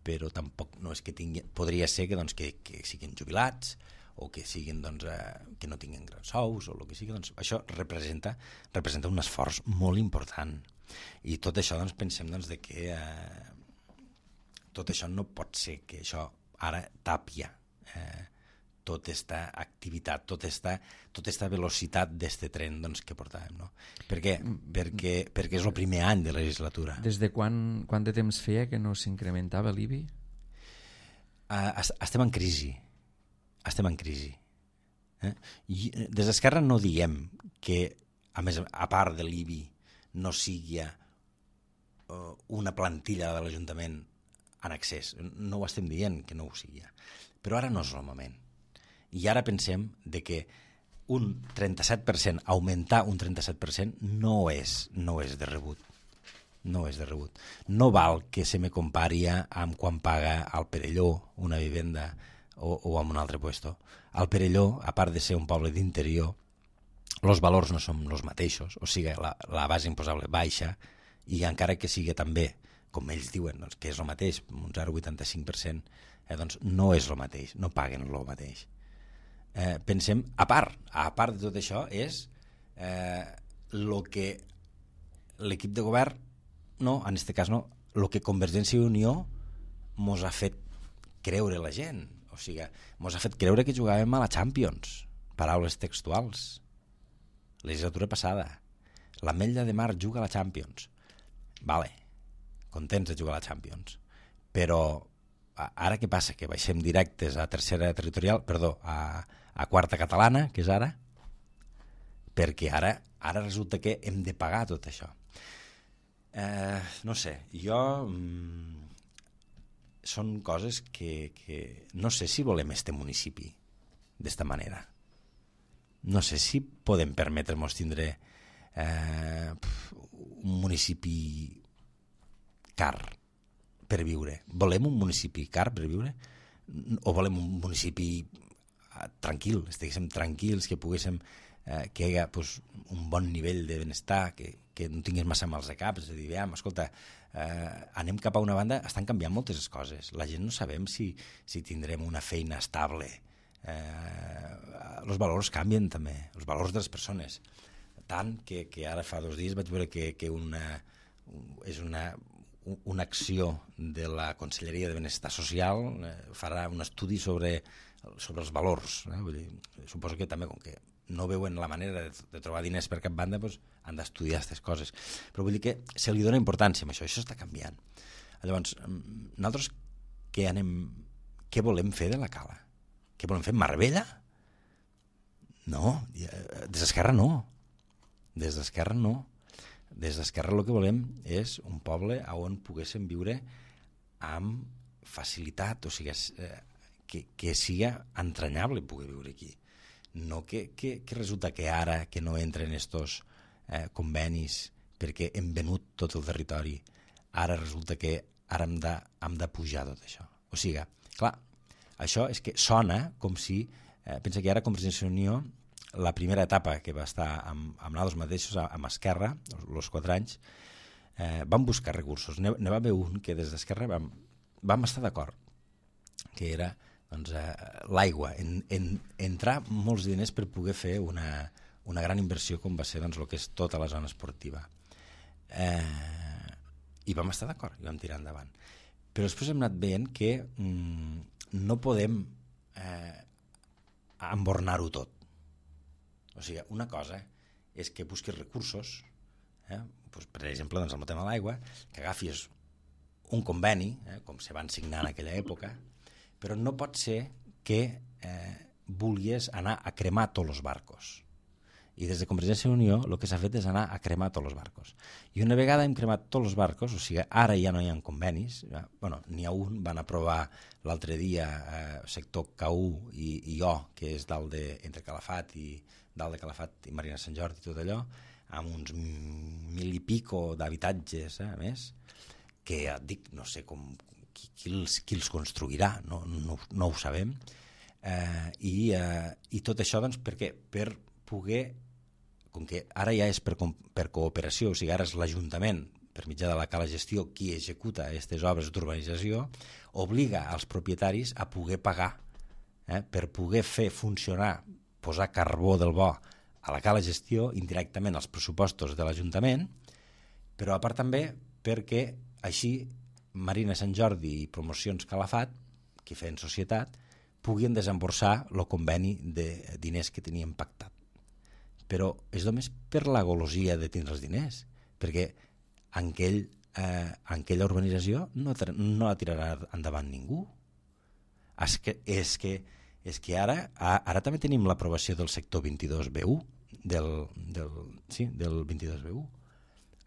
Però tampoc no és que tingui, podria ser que, doncs, que, que siguin jubilats o que siguin, doncs, eh, que no tinguin grans sous o el que sigui, doncs, això representa, representa un esforç molt important. I tot això, doncs, pensem, doncs, de que eh, tot això no pot ser que això ara tàpia eh, tota aquesta activitat, tota aquesta, tota aquesta velocitat d'este tren, doncs, que portàvem, no? Per què? Perquè, perquè és el primer any de legislatura. Des de quan, quant de temps feia que no s'incrementava l'I B I? Uh, estem en crisi. Estem en crisi. Eh? I des d'Esquerra no diem que, a més, a part de l'I B I, no sigui uh, una plantilla de l'Ajuntament en excés. No ho estem dient que no ho sigui. Però ara no és el moment. I ara pensem de que un trenta-set per cent, augmentar un trenta-set per cent no és, no és de rebut. No és de rebut. No val que se me compari amb quan paga al Perelló una vivenda o, o amb un altre puesto. Al Perelló, a part de ser un poble d'interior, els valors no són els mateixos, o sigui, la, la base imposable baixa i encara que sigui també, com ells diuen, doncs, que és el mateix, un zero coma vuitanta-cinc per cent, eh, doncs no és el mateix, no paguen el mateix. Eh, pensem, a part, a part de tot això, és eh, lo que l'equip de govern, no, en aquest cas no, el que Convergència i Unió mos ha fet creure la gent. O sigui, mos ha fet creure que jugàvem a la Champions. Paraules textuals. Legislatura passada. L'Ametlla de Mar juga a la Champions. Vale, contents de jugar a la Champions. Però ara què passa? Que baixem directes a tercera territorial, perdó, a, a quarta catalana, que és ara, perquè ara, ara resulta que hem de pagar tot això. Eh, no sé, jo... Mm, són coses que, que no sé si volem este municipi d'esta manera. No sé si podem permetre'ns tindre eh, un municipi car per viure. Volem un municipi car per viure? O volem un municipi tranquil, estiguéssim tranquils, que poguéssim eh, que hi hagués pues, un bon nivell de benestar, que, que no tingués massa mals de cap, és a dir, veiem, escolta, eh, anem cap a una banda, estan canviant moltes coses, la gent no sabem si, si tindrem una feina estable, eh, els valors canvien també, els valors de les persones, tant que, que ara fa dos dies vaig veure que, que una, és una, una acció de la Conselleria de Benestar Social, eh, farà un estudi sobre, sobre els valors, eh? Vull dir, suposo que també com que no veuen la manera de, de trobar diners per cap banda, doncs han d'estudiar aquestes coses. Però vull dir que se li dona importància a això, això està canviant. Llavors, nosaltres què, anem, què volem fer de la Cala? Què volem fer? Marbella? No, des d'Esquerra no. Des d'Esquerra no. Des d'Esquerra el que volem és un poble on poguéssim viure amb facilitat, o sigui, que, que siga entranyable poder viure aquí. No que, que, que resulta que ara que no entren estos eh, convenis perquè hem venut tot el territori, ara resulta que ara hem de, hem de pujar tot això. O sigui, clar, això és que sona com si, eh, pensa que ara Convergència i Unió, la primera etapa que va estar amb, amb nosaltres mateixos, amb Esquerra, els quatre anys, eh, vam buscar recursos. Ne, ne va haver un que des d'Esquerra vam, vam estar d'acord, que era doncs, eh, l'aigua, en, en, entrar molts diners per poder fer una, una gran inversió com va ser doncs, el que és tota la zona esportiva. Eh, I vam estar d'acord, i vam tirar endavant. Però després hem anat veient que mm, no podem eh, embornar-ho tot. O sigui, una cosa és que busquis recursos, eh, doncs, per exemple, doncs, el tema de l'aigua, que agafis un conveni, eh, com se van signar en aquella època, però no pot ser que eh, vulguis anar a cremar tots els barcos. I des de Convergència i Unió el que s'ha fet és anar a cremar tots els barcos. I una vegada hem cremat tots els barcos, o sigui, ara ja no hi ha convenis, ja, bueno, n'hi ha un, van aprovar l'altre dia eh, sector K u i, i O, que és dalt de, entre Calafat i dalt de Calafat i Marina Sant Jordi i tot allò, amb uns mil i pico d'habitatges, eh, a més, que ja et dic, no sé com... Qui els, qui els construirà, no, no, no ho sabem, eh, i, eh, i tot això doncs, per què? Per poder, com que ara ja és per, per cooperació, o sigui, ara és l'Ajuntament, per mitjà de la Cala Gestió, qui executa aquestes obres d'urbanització, obliga als propietaris a poder pagar, eh, per poder fer funcionar, posar carbó del bo a la Cala Gestió, indirectament als pressupostos de l'Ajuntament, però a part també perquè així Marina Sant Jordi i Promocions Calafat, que feien societat, puguin desemborsar el conveni de diners que tenien pactat. Però és només per la golosia de tindre els diners, perquè en, aquell, eh, en aquella urbanització no, no la tirarà endavant ningú. És que, és que, és que ara, ara també tenim l'aprovació del sector vint-i-dos B u, del, del, sí, del vint-i-dos B u,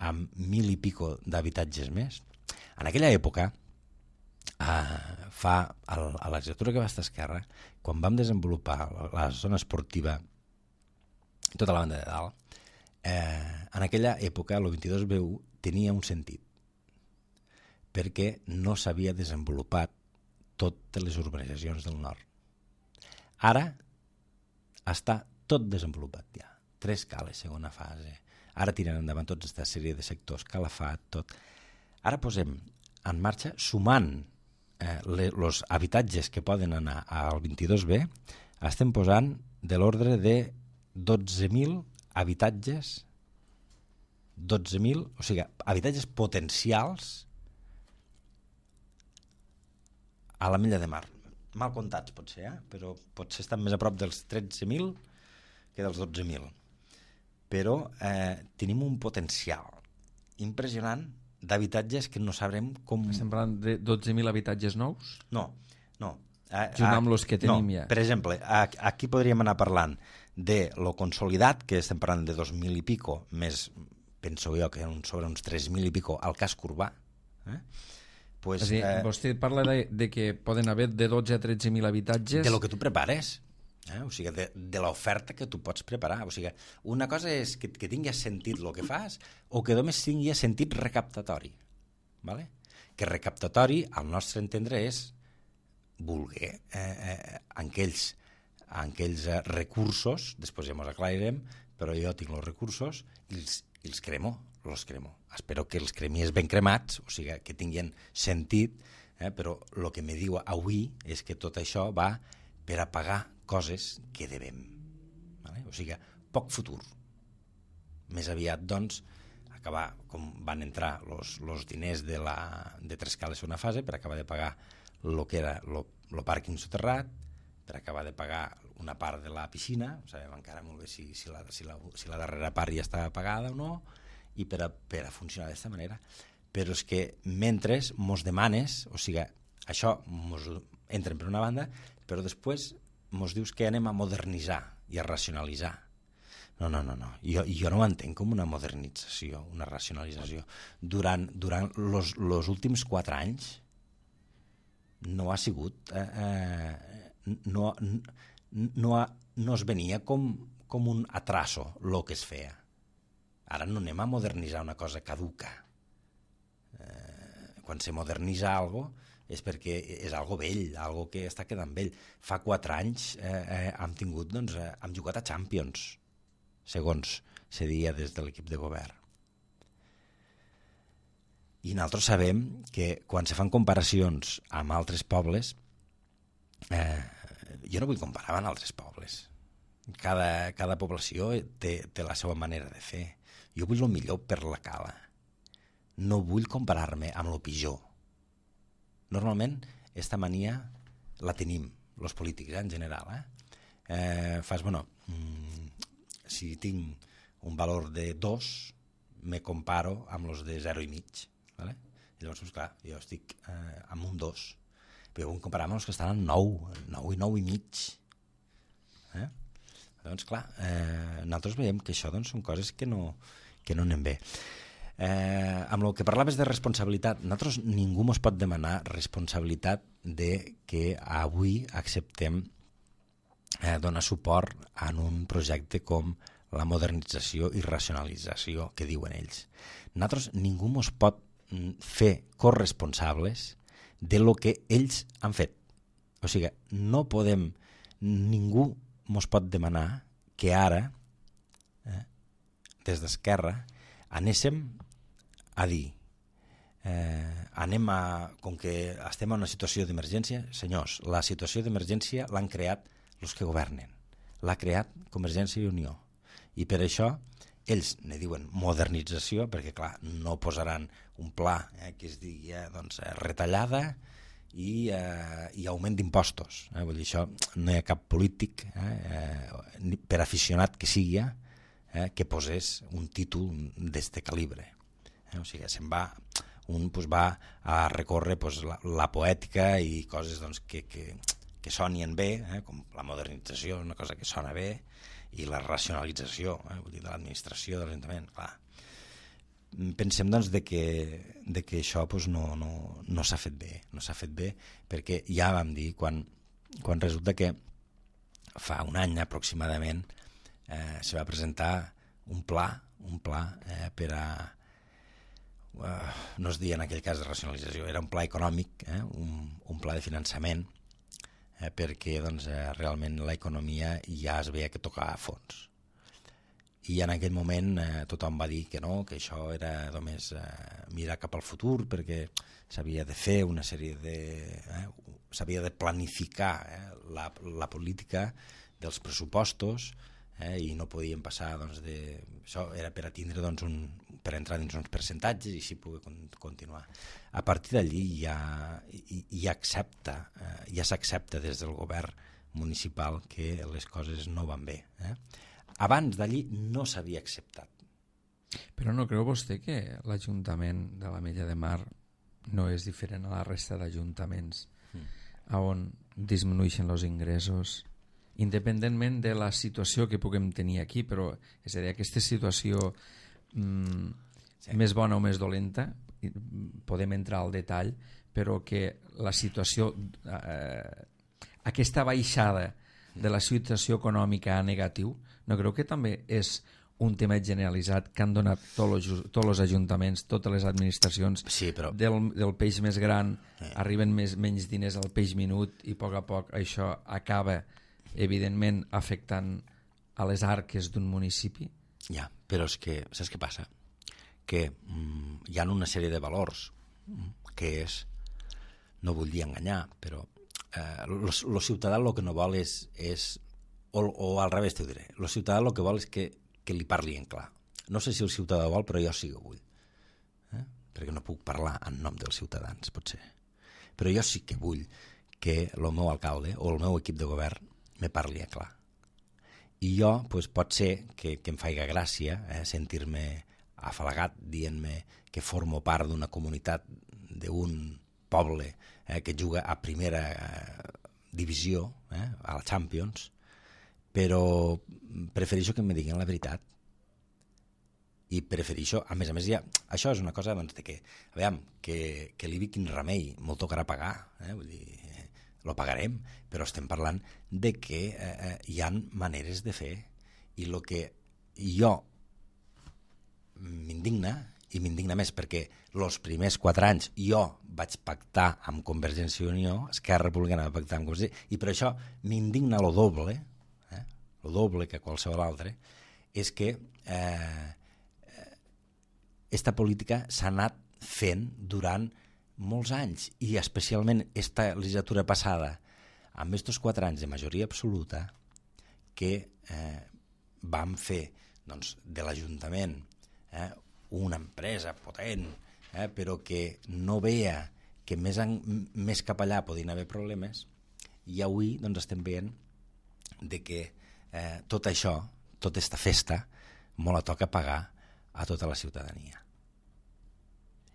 amb mil i pico d'habitatges més. En aquella època, eh, fa, a la legislatura que va estar a Esquerra, quan vam desenvolupar la zona esportiva i tota la banda de dalt, eh, en aquella època el vint-i-dos B u tenia un sentit, perquè no s'havia desenvolupat totes les urbanitzacions del nord. Ara està tot desenvolupat ja, tres cales, segona fase. Ara tiren endavant tota aquesta sèrie de sectors, Calafat, tot. Ara posem en marxa, sumant eh, els habitatges que poden anar al vint-i-dos B, estem posant de l'ordre de dotze mil habitatges, dotze mil, o sigui, habitatges potencials a la Mella de Mar. Mal comptats, potser, eh? Però potser estan més a prop dels tretze mil que dels dotze mil. Però eh, tenim un potencial impressionant d'habitatges que no sabrem com... Estem parlant de dotze mil habitatges nous? No, no. A, Junt amb els que tenim no, ja. Per exemple, aquí podríem anar parlant de lo consolidat, que estem parlant de dos mil i pico, més, penso jo, que sobre uns tres mil i pico al casc urbà. Eh? Pues, és a dir, eh, vostè parla de, de que poden haver de dotze a tretze mil habitatges... De lo que tu prepares. Eh? O sigui, de, de l'oferta que tu pots preparar. O sigui, una cosa és que, que tingui sentit el que fas o que només tingui sentit recaptatori. Vale? Que recaptatori, al nostre entendre, és voler eh, eh, en aquells amb aquells eh, recursos, després ja ens aclarirem, però jo tinc els recursos i els, i els cremo, els cremo. Espero que els cremies ben cremats, o sigui, que tinguin sentit, eh, però el que me diu avui és que tot això va per a pagar coses que devem. Vale? O sigui, poc futur. Més aviat, doncs, acabar, com van entrar els diners de, la, de Trescal a segona fase, per acabar de pagar el que era el pàrquing soterrat, per acabar de pagar una part de la piscina, sabem encara molt bé si, si, la, si, la, si la darrera part ja està pagada o no, i per a, per a funcionar d'aquesta manera. Però és que mentre mos demanes, o sigui, això mos entren per una banda, però després mos dius que anem a modernitzar i a racionalitzar. No, no, no, no. Jo, jo no ho entenc com una modernització, una racionalització. Durant, durant los, los últims quatre anys no ha sigut... Eh, eh, no, no, ha, no es venia com, com un atraso el que es feia. Ara no anem a modernitzar una cosa caduca. Eh, quan se modernitza algo és perquè és algo vell, algo que està quedant vell. Fa quatre anys eh, eh, hem tingut, doncs, eh, hem jugat a Champions, segons se dia des de l'equip de govern. I nosaltres sabem que quan se fan comparacions amb altres pobles, eh, jo no vull comparar amb altres pobles. Cada, cada població té, té la seva manera de fer. Jo vull el millor per la cala. No vull comparar-me amb el pitjor. Normalment, aquesta mania la tenim, els polítics, eh, en general. Eh? Eh, fas, bueno, mmm, si tinc un valor de dos, me comparo amb els de zero i mig. Vale? I llavors, doncs, clar, jo estic eh, amb un dos. Però vull comparar amb els que estan en nou, nou i nou i mig. Eh? Doncs, clar, eh, nosaltres veiem que això doncs, són coses que no, que no anem bé. Eh, amb el que parlaves de responsabilitat, nosaltres ningú ens pot demanar responsabilitat de que avui acceptem eh, donar suport en un projecte com la modernització i racionalització que diuen ells. Nosaltres ningú ens pot fer corresponsables de lo que ells han fet. O sigui, no podem, ningú ens pot demanar que ara, eh, des d'Esquerra, anéssim a dir, eh, anem a, com que estem en una situació d'emergència, senyors, la situació d'emergència l'han creat els que governen, l'ha creat Convergència i Unió, i per això ells ne diuen modernització, perquè clar, no posaran un pla eh, que es digui eh, doncs, retallada i, eh, i augment d'impostos. Eh? Vull dir, això no hi ha cap polític, eh, eh, per aficionat que sigui, eh, que posés un títol d'este calibre. Eh? O sigui, se'n va, un pues, va a recórrer pues, la, la poètica i coses doncs, que, que, que sonien bé, eh? Com la modernització, una cosa que sona bé, i la racionalització, eh? Vull dir, de l'administració, de l'Ajuntament, clar. Pensem doncs de que, de que això pues, no, no, no s'ha fet bé, no s'ha fet bé, perquè ja vam dir, quan, quan resulta que fa un any aproximadament eh, se va presentar un pla, un pla eh, per a, uh, no es deia en aquell cas de racionalització, era un pla econòmic, eh, un, un pla de finançament, Eh, perquè doncs, eh, realment l'economia ja es veia que tocava a fons. I en aquell moment eh, tothom va dir que no, que això era només eh, mirar cap al futur, perquè s'havia de fer una sèrie de... Eh, s'havia de planificar eh, la, la política dels pressupostos eh, i no podien passar doncs, de... Això era per a tindre doncs, un, per entrar dins uns percentatges i així poder continuar. A partir d'allí ja, ja, accepta, eh, ja s'accepta des del govern municipal que les coses no van bé. Eh? Abans d'allí no s'havia acceptat. Però no creu vostè que l'Ajuntament de l'Ametlla de Mar no és diferent a la resta d'ajuntaments mm. on disminueixen els ingressos, independentment de la situació que puguem tenir aquí, però és a dir, aquesta situació mm, sí. més bona o més dolenta, podem entrar al detall, però que la situació, eh, aquesta baixada de la situació econòmica a negatiu, no creu que també és un tema generalitzat que han donat tots els, tots els ajuntaments, totes les administracions, sí, però... del, del peix més gran, sí. arriben més, menys diners al peix minut i a poc a poc això acaba evidentment afectant a les arques d'un municipi. Ja, però és que, saps què passa? Que mm, hi ha una sèrie de valors que és, no vull dir enganyar, però eh, el ciutadà el que no vol és, és o, o al revés t'ho diré, el ciutadà el que vol és que, que li parli en clar. No sé si el ciutadà vol, però jo sí que vull. Eh? Perquè no puc parlar en nom dels ciutadans, potser. Però jo sí que vull que el meu alcalde o el meu equip de govern me parli en clar. I jo, doncs, pot ser que, que em faiga gràcia eh, sentir-me afalagat dient-me que formo part d'una comunitat, d'un poble eh, que juga a primera eh, divisió, eh, a la Champions, però prefereixo que em diguin la veritat. I prefereixo, a més a més, ja, això és una cosa doncs, de que, a veure, que, que l'I B I quin remei, molt tocarà pagar, eh, vull dir, lo pagarem, però estem parlant de que eh, hi ha maneres de fer i el que jo m'indigna, i m'indigna més perquè els primers quatre anys jo vaig pactar amb Convergència i Unió, Esquerra Republicana va pactar amb Convergència, i per això m'indigna lo doble, eh, lo doble que qualsevol altre, és que eh, esta política s'ha anat fent durant molts anys, i especialment esta legislatura passada, amb estos quatre anys de majoria absoluta, que eh, vam fer doncs, de l'Ajuntament eh, una empresa potent, eh, però que no veia que més, en, més cap allà podien haver problemes, i avui doncs, estem veient de que eh, tot això, tota esta festa, molt la toca pagar a tota la ciutadania.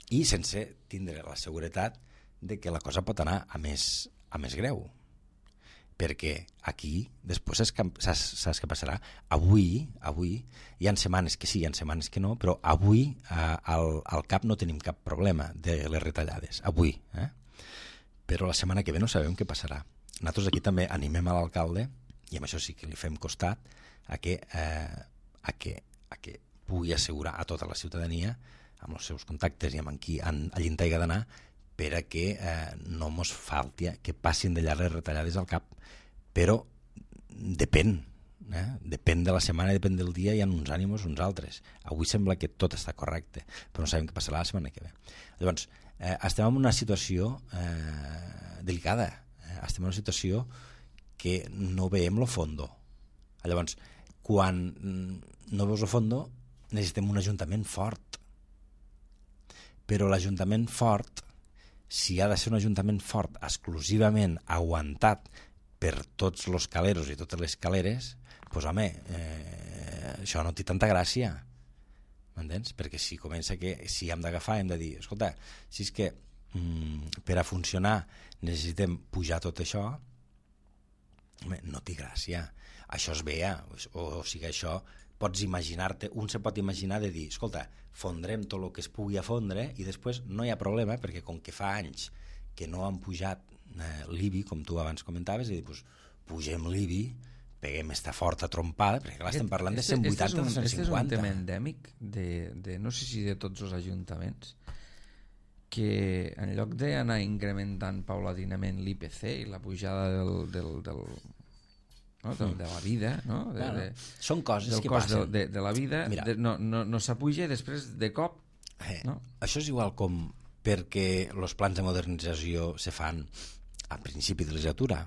I sense tindre la seguretat de que la cosa pot anar a més, a més greu. Perquè aquí, després saps, saps què passarà? Avui, avui, hi ha setmanes que sí, hi ha setmanes que no, però avui eh, al, al cap no tenim cap problema de les retallades. Avui. Eh? Però la setmana que ve no sabem què passarà. Nosaltres aquí també animem a l'alcalde, i amb això sí que li fem costat, a que, eh, a que, a que pugui assegurar a tota la ciutadania amb els seus contactes i amb qui han, allí en taiga d'anar, per a que eh, no mos falti, que passin de llarg les retallades al cap, però depèn, eh? Depèn de la setmana, depèn del dia, hi ha uns ànimos, uns altres. Avui sembla que tot està correcte, però no sabem què passarà la setmana que ve. Llavors, eh, estem en una situació eh, delicada, eh? Estem en una situació que no veiem lo fondo. Llavors, quan no veus lo fondo, necessitem un ajuntament fort. Però l'ajuntament fort, si ha de ser un ajuntament fort exclusivament aguantat per tots els caleros i totes les caleres, doncs home, eh, això no té tanta gràcia, m'entens? Perquè si comença que, si hem d'agafar, hem de dir, escolta, si és que mm, per a funcionar necessitem pujar tot això, home, no té gràcia. Això es veia, o, o sigui, això pots imaginar-te, un se pot imaginar de dir, escolta, fondrem tot el que es pugui afondre i després no hi ha problema, perquè com que fa anys que no han pujat eh, l'I B I, com tu abans comentaves, i dir, pues, pugem l'I B I, peguem esta forta trompada, perquè clar, estem parlant de cent vuitanta a cent cinquanta. Aquest és un tema endèmic de, de, no sé si de tots els ajuntaments, que en lloc d'anar incrementant paulatinament l'I P C i la pujada del... del, del no? de, de la vida, no? De, bueno, de, són coses del que cost passen. De, de, de la vida, de, no, no, no s'apuja i després de cop... Eh, no? Això és igual com perquè els plans de modernització se fan a principi de legislatura,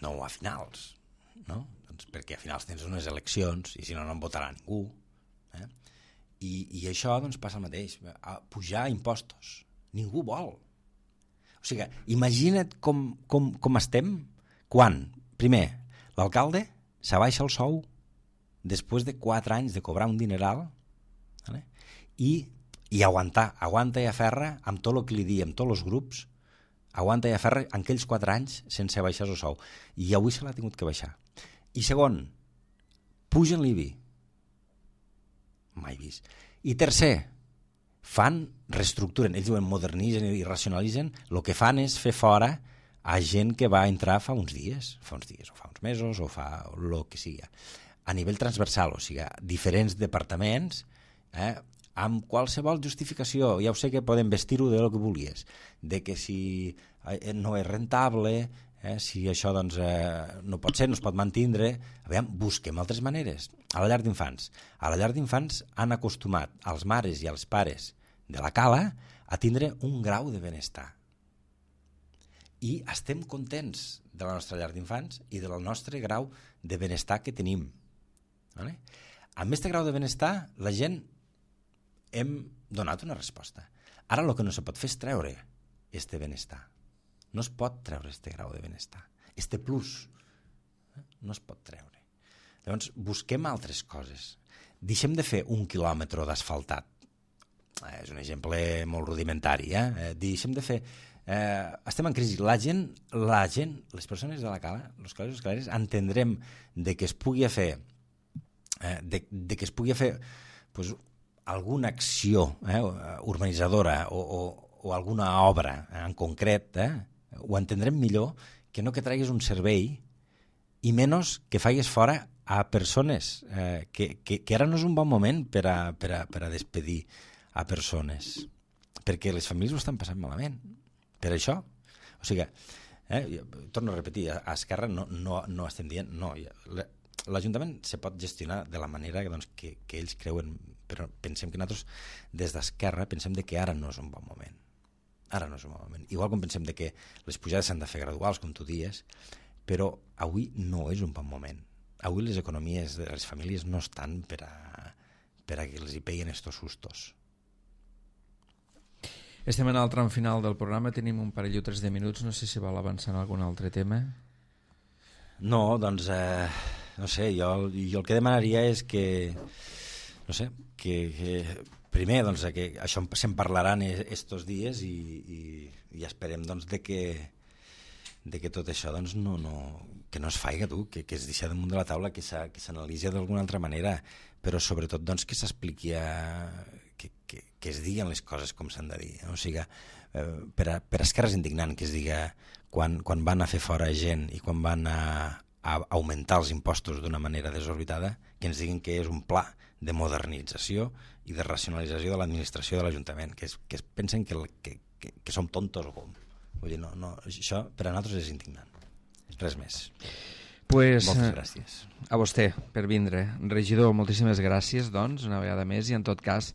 no a finals, no? Doncs perquè a finals tens unes eleccions i si no, no en votarà ningú. Eh? I, I això doncs, passa el mateix. A pujar impostos. Ningú vol. O sigui, imagina't com, com, com estem quan, primer, l'alcalde s'abaixa el sou després de quatre anys de cobrar un dineral, vale? i, i aguantar, aguanta i aferra amb tot el que li di, amb tots els grups, aguanta i aferra en aquells quatre anys sense baixar el sou. I avui se l'ha tingut que baixar. I segon, pugen l'I B I. Mai vist. I tercer, fan, reestructuren, ells diuen modernitzen i racionalitzen, el que fan és fer fora a gent que va entrar fa uns dies, fa uns dies, o fa uns mesos, o fa el que sigui, a nivell transversal, o sigui, diferents departaments, eh, amb qualsevol justificació. Ja ho sé que poden vestir-ho de lo que volies, de que si no és rentable, Eh? Si això doncs, eh, no pot ser, no es pot mantindre, aviam, busquem altres maneres. A la llar d'infants. A la llar d'infants han acostumat als mares i als pares de la Cala a tindre un grau de benestar. I estem contents de la nostra llar d'infants i del nostre grau de benestar que tenim. Vale? Amb aquest grau de benestar, la gent hem donat una resposta. Ara el que no se pot fer és treure este benestar. No es pot treure este grau de benestar. Este plus no es pot treure. Llavors, busquem altres coses. Deixem de fer un quilòmetre d'asfaltat. Eh, és un exemple molt rudimentari. Eh? Eh, deixem de fer... Eh, estem en crisi. La gent, la gent, les persones de la Cala, els calares i les calares, entendrem de que es pugui fer eh, de, de que es pugui fer pues, alguna acció eh, urbanitzadora o, o, o alguna obra eh, en concret, eh, ho entendrem millor que no que traguis un servei i menys que faigues fora a persones, eh, que, que, que ara no és un bon moment per a, per a, per a despedir a persones, perquè les famílies ho estan passant malament. Per això, o sigui, eh, torno a repetir, a, a Esquerra no, no, no estem dient, no, l'Ajuntament se pot gestionar de la manera doncs, que, que ells creuen, però pensem que nosaltres des d'Esquerra pensem de que ara no és un bon moment. Ara no és un bon moment. Igual com pensem de que les pujades s'han de fer graduals, com tu dies, però avui no és un bon moment. Avui les economies de les famílies no estan per a, per a que els hi peguen estos sustos. Estem en el tram final del programa, tenim un parell o tres de minuts, no sé si vol avançar en algun altre tema. No, doncs, eh, no sé, jo, jo el que demanaria és que, no sé, que, que primer, doncs, que això se'n parlaran estos dies i, i, i esperem, doncs, de que, de que tot això, doncs, no, no, que no es faiga, tu, que, que es deixa damunt de la taula, que s'analitzi d'alguna altra manera, però sobretot, doncs, que s'expliqui a... Que, que, que es diguen les coses com s'han de dir. O sigui, eh, per, a, per a Esquerra és indignant que es diga quan, quan van a fer fora gent i quan van a, a augmentar els impostos d'una manera desorbitada, que ens diguin que és un pla de modernització i de racionalització de l'administració de l'Ajuntament, que, es, que es pensen que, que, que, que som tontos o com. Vull dir, no, no, això per a nosaltres és indignant. Res més. Pues, moltes gràcies. A vostè per vindre. Regidor, moltíssimes gràcies, doncs, una vegada més, i en tot cas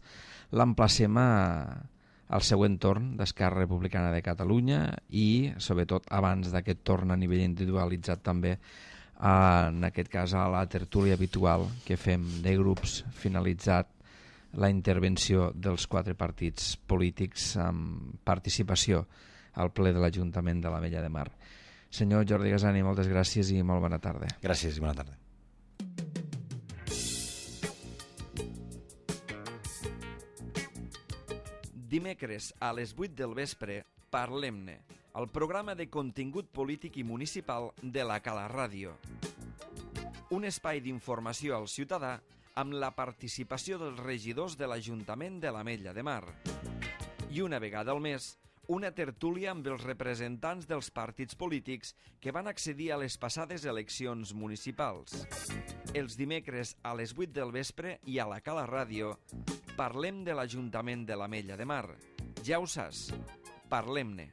l'emplacem a, al següent torn d'Esquerra Republicana de Catalunya i, sobretot, abans d'aquest torn a nivell individualitzat també, a, en aquest cas a la tertúlia habitual que fem de grups, finalitzat la intervenció dels quatre partits polítics amb participació al ple de l'Ajuntament de l'Ametlla de Mar. Senyor Jordi Gasani, moltes gràcies i molt bona tarda. Gràcies i bona tarda. Dimecres a les vuit del vespre, Parlem-ne, el programa de contingut polític i municipal de la Cala Ràdio. Un espai d'informació al ciutadà amb la participació dels regidors de l'Ajuntament de l'Ametlla de Mar. I una vegada al mes, una tertúlia amb els representants dels partits polítics que van accedir a les passades eleccions municipals. Els dimecres a les vuit del vespre i a la Cala Ràdio parlem de l'Ajuntament de l'Ametlla de Mar. Ja ho saps, parlem-ne.